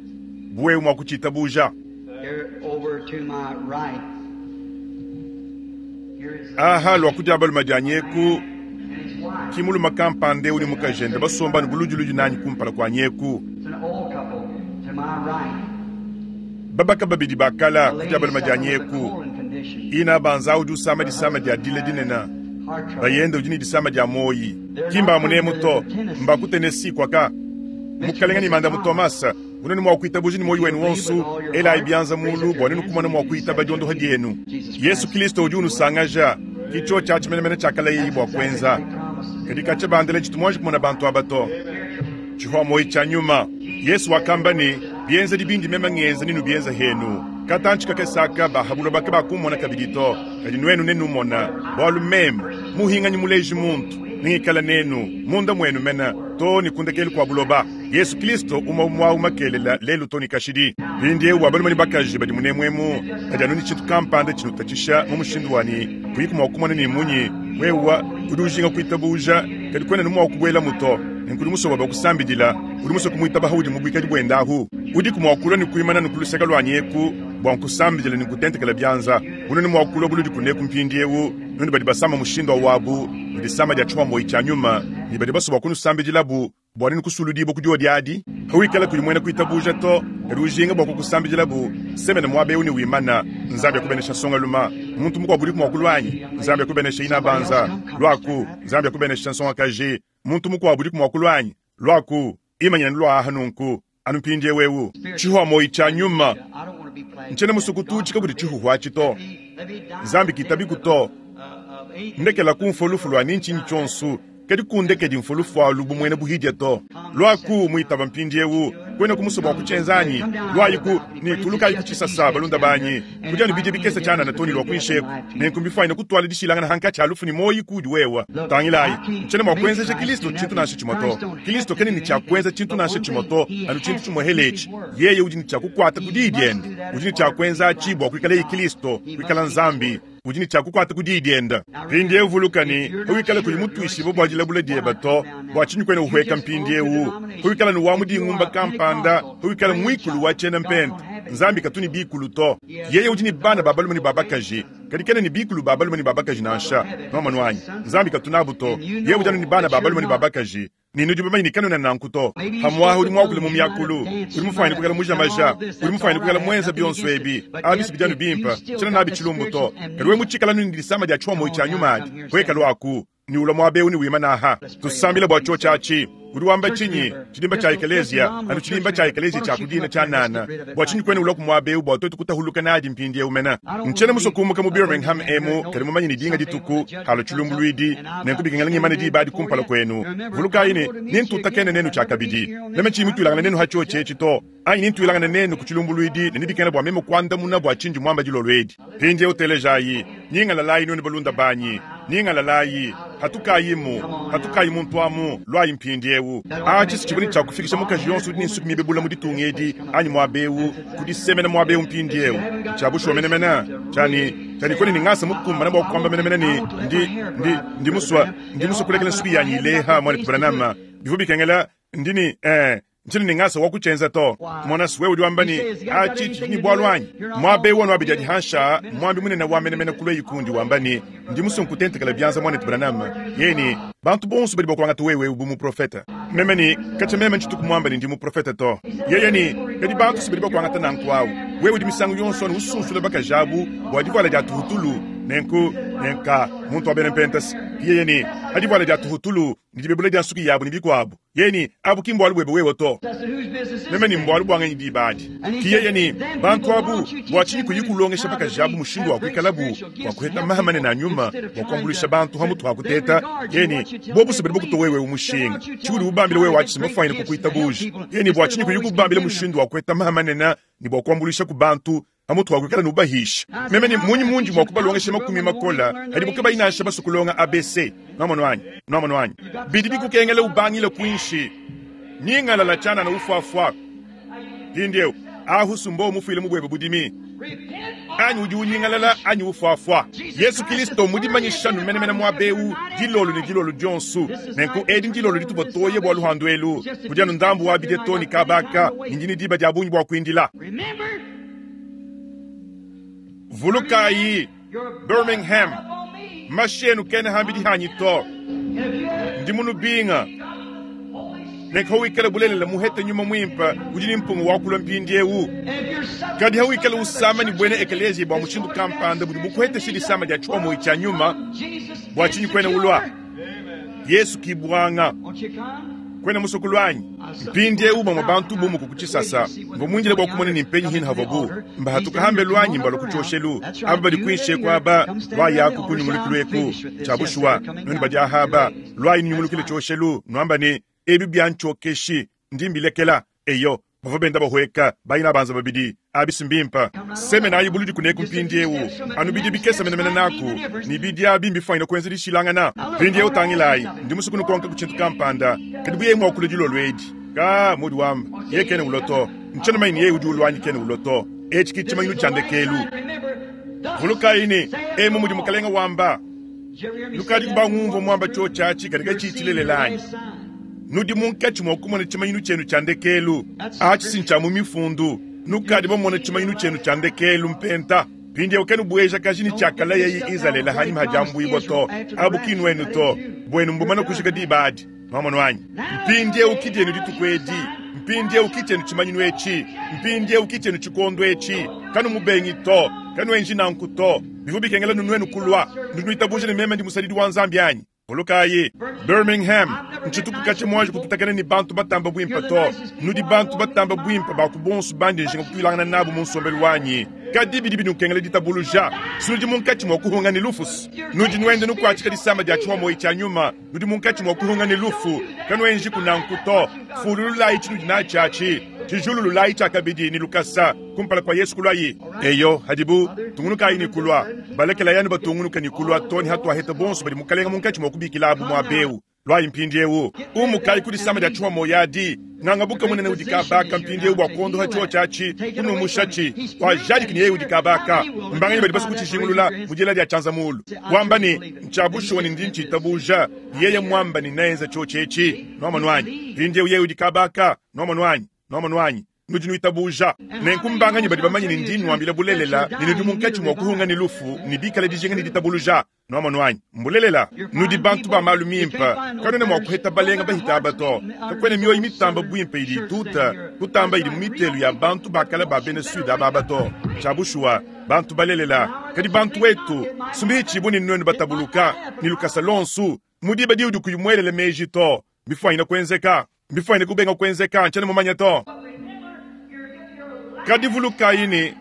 Buwe mwa kuchitabuja. Here over to my right. Here is a Aha lwa kudia baluma dia nyeku, and his wife. kimuluma kampande uli mukajende basomba ni bulujuluju nanyi kumpala kwa nyeku. It's an old couple to my right. Babaka babidi bakala A kudia lady baluma dia suffering with a nyeku. colon condition. Ina banza udi usama Her disama dia husband dile had dinena. heart trouble. Bayende udi ni disama dia moyi. Kimba munemu to, mba ku Tennessee kwaka. Mr. Mukalenga ni and Mrs. manda mu Thomas. Thomas, unoni mwa kuitabuja ni moyo If you wenu believe wonsu, with all your ela heart, ibianza raise mulu up your bwa nenu hands kumona and mwa be kuitaba set diondoha free. dienu. Jesus Yesu Christ Kristo udi will. unusangaja, kicho cha chimenemene chakala yeyi That's bwa exactly kwenza. what he promises Kadi in kacha bandele chitumwanji kumona bantu abato. Chihwa moyi cha nyuma. Yesu wakamba ni bienza dibindi mema ngenza ninu bienza henu. Katanchi kakesaka bahabulwa bake bakumona kabidi to. Kadi nwenu nenumona. Bwalu meme, muhinganyi muleji muntu. Ningikala nenu, munda mwenu mena, to ni kundekelu kwa buloba. Yesu Kristo uma umwa umakelela lelu to ni kashidi. Mpindieu wa balume ni bakaji badi munemwemu, badi anu ni tshintu kampanda tshinutatshisha mu mushindu wani, kuyiku mwa kumona ni munyi, wewa udi ujinga kuitabuja, kadi kwena ni mwa kubuela muto. Nkuli musoba bakusambidila, udi muso kumuitaba haudi mu buikadi buenda ahu. Udi kumwakulwa ni kuimana ni kuluseka lwa nyeku, bwa nkusambidila ni kutentekela bianza. Uno ni mwakulwa buludi kuneku mpindieu, nuni badi basama mushindo wabu, ni disama dia chuma moyi cha nyuma, ni badi basoba kunusambidilabu, bwa nini kusuludibo kudiwa diadi. Hawikala kuli mwena kuitabuja to, kadi ujinga bwa kukusambidilabu, semene mwabe uni wimana, Nzambi akubenesha songa luma. Muntu mukwa buli kumwakulwanyi, Nzambi akubenesha ina banza, lwaku, Nzambi akubenesha nsonga kaji. Muntu mukwa buli kumwakulwanyi, lwaku, imanyina lwa nunku, anu mpindie wewu. Chihwa moyi cha nyuma, I don't want to be plagued. nchene musukutu chika kudi chihuhwa chito. Let me die Nzambi the death kitabi of kuto. of atheism. Ndekela kumfa lufu lwa ninchinyi chonsu, kadi kundekedi mfa lufu alu bumwene buhidya to. Lwaku muitaba mpindiewu, kwena kumusoba wa kuchenzanyi, lwayiku ni tulukayi kuchisasa balunda banyi, kujanu bidya bikesa chana toni lwa kuinsheku, nenku mbifaina kutwala dishilangana hanka cha lufu ni moyi kudi wewa. Tangilayi, nchene mwa kuenzesha Kristo chintu nansha chimoto. Kristo kene ni cha kuenza chintu nansha chimoto, anu chintu chimohelechi. Yeye udi ni cha kukwata kudi dienda, udi ni cha kuenza achi bwa kuikala yi Kristo, kuikala Nzambi, udi ni cha kukwata kudi dienda. Mpindiewu vulukani, huikala kuli mutwishibo bwa dilabula dieba to, bwa chinyi kwene uhweka mpindiewu. Huikala ni wa mudingumba kampanda, huikala mwikulu wa chena mpente. Nzambi katuni bikulu to. Yeye udi ni bana babalume ni babakaji, kadi kene ni bikulu babalume ni babakaji nansha. Mama nwanyi, Nzambi katunabu to. Yeye udi anu ni bana babalume ni babakaji. Ninu di bamanyi ni kanuna nanku to. Hamwaha udi mwakule mu myakulu, udi mufanye kukala mujamaja, udi mufanye kukala mwenza bionso ebi. Abisi bijanu bimpa, chena nabi chilumbu to. Kadi we muchikala nuni disama dia chwa moyi cha nyuma adi. Kweka lwaku. Ne ulua muaba eu ne wimana aha. Tusambile bua tshiotshi atshi. Udi wamba tshinyi? Tshidimba tshia ekeleziya, anu tshidimba tshia ekeleziya tshia ku dina tshianana. Bua tshinyi kuena ulua ku muaba eu bua tuetu kutahuluka nadi mpindieu mene? Ntshiena musue kumuka mu Birmingham emu, kadi mumanye ne dinga dituku halua tshilumbuluidi, nenku bikengela ngimane diba adi kumpala kuenu. Vulukayi ne, nentutakene nenu tshiakabidi. Meme tshiyi mutuilangane nenu ha tshiotshi etshi to, anyi nentuilangane nenu ku tshilumbuluidi, ne nebikengela bua meme kuandamuna bua tshindi muamba dilolo edi. Mpindieu telejayi, nyingalalayi nuenu balunda banyi, nyingalalayi, patukayimu, patukayi muntu amu, luayi mpindieu. Atshi si tshivua ne tshia kufikisha mukaji yonso udi ne nsuki mibe bule mu ditunga edi anyi muaba eu ku disemena muaba eu mpindieu. Ntshia bushuwa menemene, tshia ne, tshia ne kuena ne ngasa mukumbane bua kuamba menemene ne, ndi, ndi, ndi musue, ndi musue kulekela nsuki yanyi ileha, muanetu Branham. Bivua bikengela, ndi ne, ee, Ntshiena ne ngasa wa kutshienza to. Mona, wewe udi wamba ne, Atshi tshidi ne bualu anyi? Muaba eu wanu abidi adi hanshi aa, muambi munene wa menemene ku lueyi kundi wamba ne, Ndi musue nkutentekela bianza, muanetu Branham. Yeye ne, Bantu bonso badi bakuangata wewe eu bu muprofete. Meme ne, Katshia meme ntshituku muambe ne ndi muprofete to. Yeye ne, Kadi bantu si badi bakuangata nanku au. Wewe udi misangu yonso anu usunsula bakaji abu bua divuala dia tuhutulu. Nenku, nenka, muntu wa bena Mpentasi. Yeye ne, Pa divuala dia tuhutulu ne dibebula dia nsuki yabu ne bikuabu. Yeye ne, Abu ki mbualu buebe wewe to. Meme ne, Mbualu bua nganyi diba adi? Ki yeye ne, Bantu abu, bua tshinyi kuyi kulongesha bakaji abu mushindu wa kuikalabu bua kuheta maha manene a nyuma bua kuambuluisha bantu hamutu ha kuteta? Yeye ne, Bobu se badi bakutua wewe mushinga. Tshiudi ubambila wewe atshi mbafuanyine kukuitabuja. Yeye ne, Bua tshinyi kuyi kubambila mushindu wa kuheta maha manene ne bua kuambuluishaku bantu pamutu pa kuikala nubahisha? Meme ne, Mmunyi mundi mua kubalongesha makumi makole hadibo kabayi nansha basue kulonga ABC? Nuamonu anyi? Nuamonu anyi? Bidi bikukengela ubangile kuinshi. Nyingalala tshianana ufuafua. Mpindieu, ahu sumbo mufuile mu buebe budimi. Anyi udi unyingalala anyi ufuafua. Yesu Kilisto mudimanyisha nu menemene muaba eu dilolo ne dilolo dionso. Nenku edi ndilolo dituvua toye bua luhandu elu. Kudi anu ndambu wa bidie to ne kabaka, ne ndi ne diba dia bungi bua kuindila. Vulukayi, Birmingham, mashi enu kena hambidi hanyi to. Ndi munubinga. Nenku hawikala bulelela muhete nyuma muimpe udi ne mpunga wa kulua mpindieu. Kadi hawikala usama ne buena ekeleziya bua mushindu kampanda budi bukuhetesha disama dia tshiomoyi tshia nyuma, bua tshinyi kuena ulua? Yesu ki buanga. Kuena musue kulua anyi? Mpindieu bamue bantu bumuka ku tshisasa. Mvua muindile bua kumona ni mpenyi hine havuabu mbahatuka hambelu anyi mbalua ku tshioshelu. Aba badi kuinshi eku aba, luayaku ku nyungulukilu eku. Tshia bushuwa, nuenu badi aha aba, luayi nunyungulukile tshioshelu, nuamba ne, Ebi biantshiokeshi, ndi mbilekela. Eyo, bavua benda bahueka, bayina banza babidi. Abi si mbimpe. Semenayi buludi kuneku mpindieu, anu bidia bikese menemene naku, ne bidia abi mbifuanyine kuenza dishilangana. Mpindieu tangilayi, ndi musue kunukonka ku tshintu kampanda. Kadi bu yeye mua kulua dilolo edi? Ka, mudi wamba, yeye kena ulua to. Ntshiena mumanye ne yeye udi ulua anyi kena ulua to. Etshi ke tshimanyinu tshia ndekelu. Vulukayi ne, emu mudi Mukalenge wamba. Nukadiku bangumvua muamba tshiotshi atshi kadi katshiyi tshilelela anyi? Nudi munkatshi mua kumona tshimanyinu tshienu tshia ndekelu. Atshi si ntshia mu Mifundu. Nukadi bamona tshimanyinu tshienu tshia ndekelu, mpenta. Mpindieu kanubuejakaji ne tshiakalayaye Izalele hanyima ha diambuibua to. Abu ki nuenu to. Buenu mbumane kujika diba adi. Nuamonu anyi? Mpindieu ki dienu dituku edi. Mpindieu ki tshienu tshimanyinu etshi. Mpindieu ki tshienu tshikondo etshi. Kanumubengi to. Kanuenji nanku to. Bivua bikengela nuenu kulua. Nudi nuitabuja ne meme ndi musadidi wa Nzambi anyi? Vulukayi, Birmingham, ntshituku katshia muanji kututakena ne bantu batamba buimpe to. Nudi bantu batamba buimpe ba ku bonso bandi njinga kutuilangana nabu mu nsombelu wanyi. Kadi bidi binukengela ditabuluja. Nudi munkatshi mua kuhunga ne lufu. Nudi nuenda nukuatshika disama dia tshihomoyi tshia nyuma. Nudi munkatshi mua kuhunga ne lufu. Kanuenjiku nanku to. Fulululayi tshinudi natshi atshi. Tshijulululayi tshiakabidi ne lukasa kumpala kua Yesu kuluayi. Eyo, hadibu tungunukayi ne kulua, balekelayi anu batungunuka ne kulua too ne hatuaheta bonso badi Mukalenga munkatshi mua kubikilabu muaba eu. Luayi mpindieu, umukayi ku disama dia tshihomoyi adi. Ngangabuka munene udi kabaka mpindieu bua kuondoha tshiotshi atshi, kunumushatshi, wajadiki ne yeye udi kabaka. Mbanganyi badi basue kutshijingulula mu diela dia tshianza mulu, wamba ne, Ntshia bushuwa ne ndi ntshitabuja? Yeye muamba ne neenza tshiotshi etshi. Nuamonu anyi? Mpindieu yeye udi kabaka. Nuamonu anyi? Nuamonu anyi? Nudi nuitabuja. Nenku mbanganyi badi bamanye ne ndi nnuambila bulelela ne nudi munkatshi mua kuhunga ne lufu ne bikale dijinga ne ditabuluja? Nuamonu anyi? Mbulelela. Nudi bantu ba malu mimpe. Kanuena mua kuheta balenga bahita aba to. Kakuena mioyo mitamba buimpe idi ituta kutamba idi mu mitelu ya bantu ba kale ba bena Sud aba aba to. Tshia bushuwa, bantu balelela. Kadi bantu wetu, sumbihi tshibu ne nuenu batabuluka ne lukasa luonso. Mu diba diudi kuyi muelele meji to. Mbifwanyine kuenzeka, mbifwanyine kubenga kuenzeka, ntshiena mumanye to. Kadi vulukayi ne,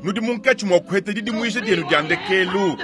nudi munkatshi mua kuheta didimuija dienu dia ndekelu.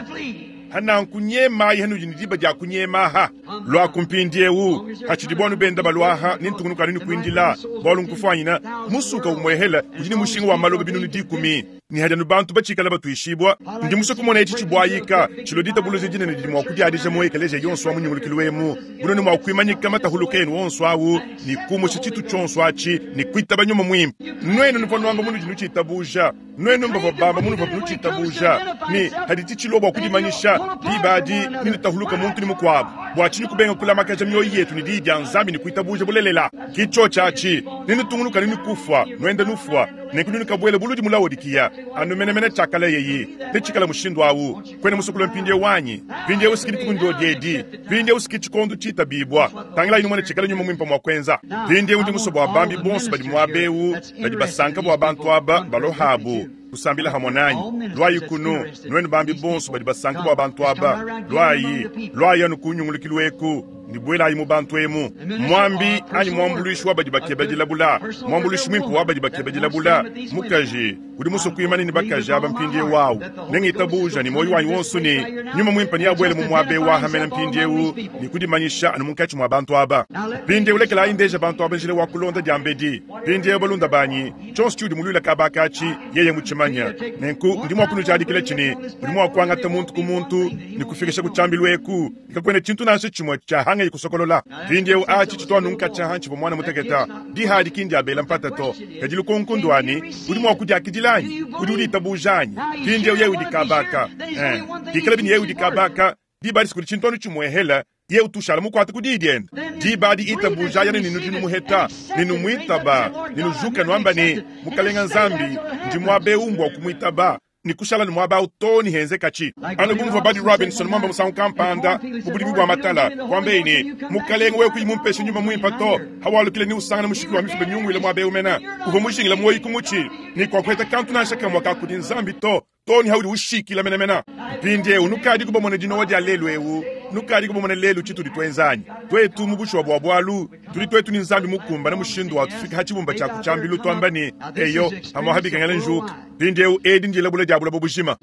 Hananku nyemayi hanudi ne diba dia kunyemaha. Luaku mpindiewu, hatshidibu anu benda baluaha, ne ntungunuka anu ne kuindila, bualu nkufuanyina musuka umuehela udi ne mushinga wa maloba binunu dikumi, ne hadi anu bantu batshikala batuishibua. Ndi musue kumona etshi tshibuayika tshilua ditabuluja dinene didi mua kudiadija mu ekeleziya yonso wa mu nyungulukilu emu, bunene mua kuimanyika matahuluka enu onso awu ne kumusha tshitu tshionso atshi ne kuitaba Nyuma Muimpe. Nuenu nuvua nuamba munudi nutshitabuja. Nuenu mbavua bamba munuvua nutshitabuja ne haditshi tshilua bua kudimanyisha, diba adi nenutahuluka muntu ne mukuabu. Bua tshinyi kubenga kulamakaja mioyo yetu ne Diyi dia Nzambi ne kuitabuja bulelela? Ki tshiotshi atshi, nenutungunuka ne kufua, nuenda nufua, nenku nenukabuela buludi mu Laodikiya, anu menemene tshiakalayeyi. Netshikale mushindu awu. Kuena musue kulua mpindieu anyi? Mpindieu si ki dituku ndiodi edi. Mpindieu si ki tshikondo tshitabibua. Tangilayi numone tshikala Nyuma Muimpe mua kuenza. Mpindieu ndi musue bua bambi bonso badi muaba eu badi basanka bua bantu aba balohabu kusambila hamue nanyi. Luayi kunu, nuenu bambi bonso badi basanka bua bantu aba. Luayi, luayi anu ku nyungulukilu eku ne buelayi mu bantu emu. Muambi anyi muambuluishi wa badi bakeba dilabula, muambuluishi muimpe wa badi bakeba dilabula, mukaji udi musue kuimana ne bakaji aba mpindieu awu, ne ngitabuja ne muoyo wanyi wonso ne Nyuma Muimpe neabuele mu muaba eu aha mene mpindieu ne kudimanyisha anu munkatshi mua bantu aba. Mpindieu lekelayi ndeja bantu aba njila wa kulonda diambedi. Mpindieu balunda banyi, tshionso tshiudi muluila kaba aka atshi, yeye mutshimanya. Nenku ndi mua kunujadikila tshi ne, udi mua kuangata muntu ku muntu ne kufikisha ku tshiambilu eku, ne kakuena tshintu nansha tshimue tshiahangaye kusokolola. Mpindieu atshi tshitu anu nkatshia hantshivua muana muteketa. Diha adi ki ndia bela mpata to, kadi lukonko ndua ne, udi mua kudiakidila anyi? Udi uditabuja anyi? Mpindieu yeye udi kaba aka. Eh, pikalabi ne yeye udi kaba aka, diba adi sikudi tshintu anu tshimuehela, yeye utu ushala mukuate ku diyi diende. Diba adi itabujaya ne nudi numuheta, ne numuitaba, ne nujuka nuamba ne, Mukalenga Nzambi, ndi muaba eu mbua kumuitaba, ne kushala ne muaba au too ne henzekatshi. Anu bu muvua Buddy Robinson muamba musangu kampanda mu budimi bua matala, kuambaye ne, Mukalenge, wewe kuyi mumpeshe Nyuma Muimpe to, hawalukila ne usangana mushiki wa mifuba miunguile muaba eu mena. Uvua mujingile muoyo ku mutshi, ne kuakuheta kantu nansha kamue ka kudi Nzambi to, too ne haudi ushikila menemene. Mpindieu nukadiku bamone dinowa dia lelu eu, nukadiku bamone lelu tshitudi tuenza anyi? Tuetu mu bushuwa bua bualu, tudi tuetu ne Nzambi mukumbane mushindu wa tufika ha tshibumba tshia ku tshiambilu tuamba ne, Eyo, pamuapa bikengela njuka. Mpindieu edi ndilabula dia buloba bujima.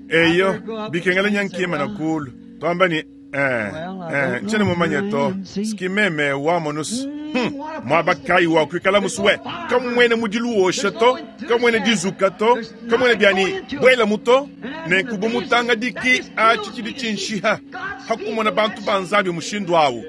Eyo, bikengela nya nkimana kulu tuamba ne, Eh, eh, ntshiena mumanye to, ski meme wamonus. Muaba kayi wa kuikala musue? Kamuena mudilu wosha to, kamuena dizuka to, kamuena bia ne buelamu to. Nenku bu mutangadiki, atshi tshidi tshinshiha ha kumona bantu ba Nzambi mushindu awu.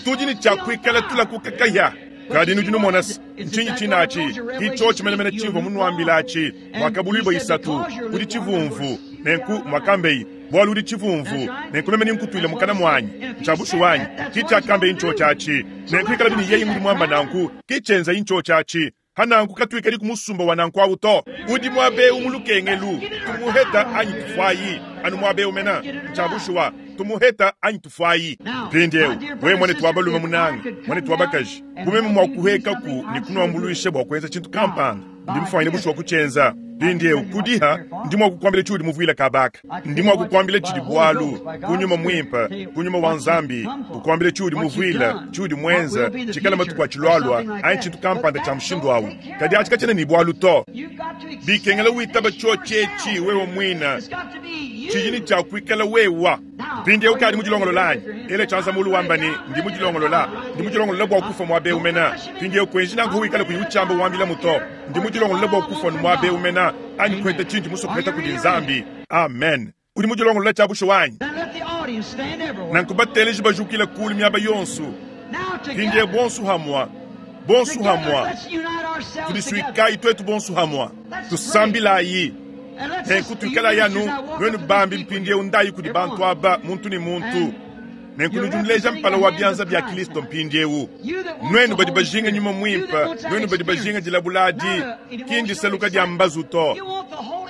Tudi ne tshia kuikala tulakuka kahia. Kadi nudi numona se, ntshinyi tshine atshi? Ki tshiotshi menemene tshimvua munuambila atshi, Muakabuluibua isatu, udi tshivumvu. Nenku, muakambeyi, bualu udi tshivumvu, nenku meme nenkutuile mukana muanyi. Ntshia bushuwa anyi? Ki tshiakambeyi ntshiotshi atshi. Nenku ikalabi ne yeye ngudi muamba nanku, ki tshienzayi ntshiotshi atshi. Pa nanku katuikadi ku musumba wa nanku awu to. Udi muaba eu mu lukengelu, tumuheta anyi tufuayi, anu muaba eu mena. Ntshia bushuwa, tumuheta anyi tufuayi. Mpindieu, wewe muanetu wa balume munanga, muanetu wa bakaji, bu meme mua kuhuekaku ne kunuambuluisha bua kuenza tshintu kampanda, ndi mufuanyine bushuwa kutshienza. Mpindieu, kudiha, ndi mua kukuambila tshiudi muvuile kaba aka. Ndi mua kukuambila tshidi bualu, ku Nyuma Muimpe, ku Nyuma wa Nzambi, kukuambila tshiudi muvuile, tshiudi muenze, tshikala matuku atshilualua, anyi tshintu kampanda tshia mushindu au. Kadi atshi katshiena ne bualu to. Bikengela witaba tshiotshi etshi wewe muine, tshidi ne tshia kuikala wewa. Mpindieu ukadi mudilongolola anyi? Ela tshianza mulu wamba ne, Ndi mudilongolola. Ndi mudilongolola bua kufua muaba eu mena. Mpindieu kuenji nanku wikale kuyi utshiamba wambilamu to. Ndi mudilongolola bua kufua muaba eu mena, anyi kuheta tshindi musue kuheta kudi Nzambi. Amen. Udi mudilongolola tshia bushuwa anyi? Nanku bateleji bajukile kulu miaba yonso. Mpindieu bonso hamua, bonso hamua, tudisuikayi tuetu bonso hamua, tusambilayi. Nenku tuikalayi anu nuenu bambi mpindieu ndayi kudi bantu aba muntu ne muntu. Nenku nudi nuleja mpala wa bianza bia Kristo mpindieu. Nuenu badi bajinga Nyuma Muimpe, nuenu badi bajinga dilabula adi, ki ndisaluka dia mbazu to.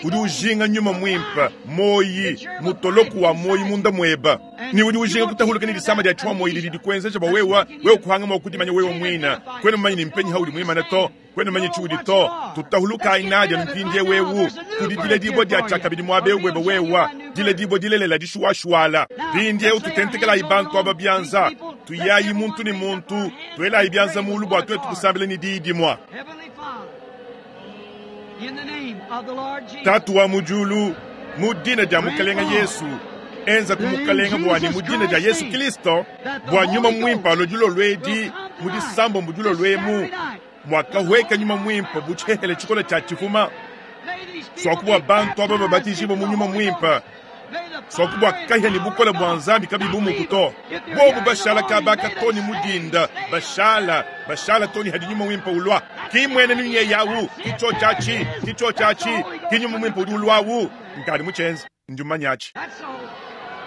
Udi ujinga nyuma mwimpe, moyi, mutoloku wa moyi munda mweba. Ne udi ujinga kutahuluka ne disama dia tshwa moyi didi dikuenzeja bua wewa, wewe kuhanga mua kudimanya wewe mwina. Kwena mmanyi ni mpenyi haudi mwimana to, kwena mmanyi tshiudi to. Tutahulukayi nadia mpindie wewu, kudi diledibua dia tshiakabidi muaba eu bweba wewa, diledibua dilelela dishuwashuwala. Mpindiewu tutentekelayi bantu aba bianza, tuyayi muntu ne muntu, tuelayi bianza mulu bua tuetu kusambila ne diyi dimua. Heavenly Father, in the name of the Lord Jesus, Tatu wa mu diulu, mu dina dia Mukalenga Yesu, enza ku Mukalenga bua ne mu dina dia Yesu Kristo, bua nyuma mwimpe alue dilolo edi, mu disambombo dilolo emu, muakahweka nyuma mwimpe bu tshihehele tshikole tshia tshifuma, may these people swaku bua be bantu aba baptized babatijibwe into mu the nyuma Holy mwimpe, Ghost. May the swaku bua fire kahia ne and bukole power of bua God Nzambi kabibu not muku leave to. them. If they're Bobu here in the bashala morning, kabaka may they toni stay, mudinda, stay bashala, bashala toni hadi nyuma mwimpe ulwa. Kimwene ninye yawu, kicho chachi, kicho chachi, kinyuma mwimpe udi ulwawu. Nkadi muchenze, njumanyachi. That's all.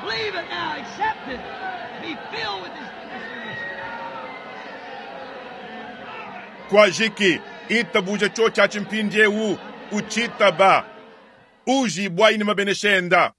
Believe it now. Accept it. Be filled with His. Kwajiki, itabuja cho chachi mpindiewu, uchitaba. Uji bwaini mabeneshenda.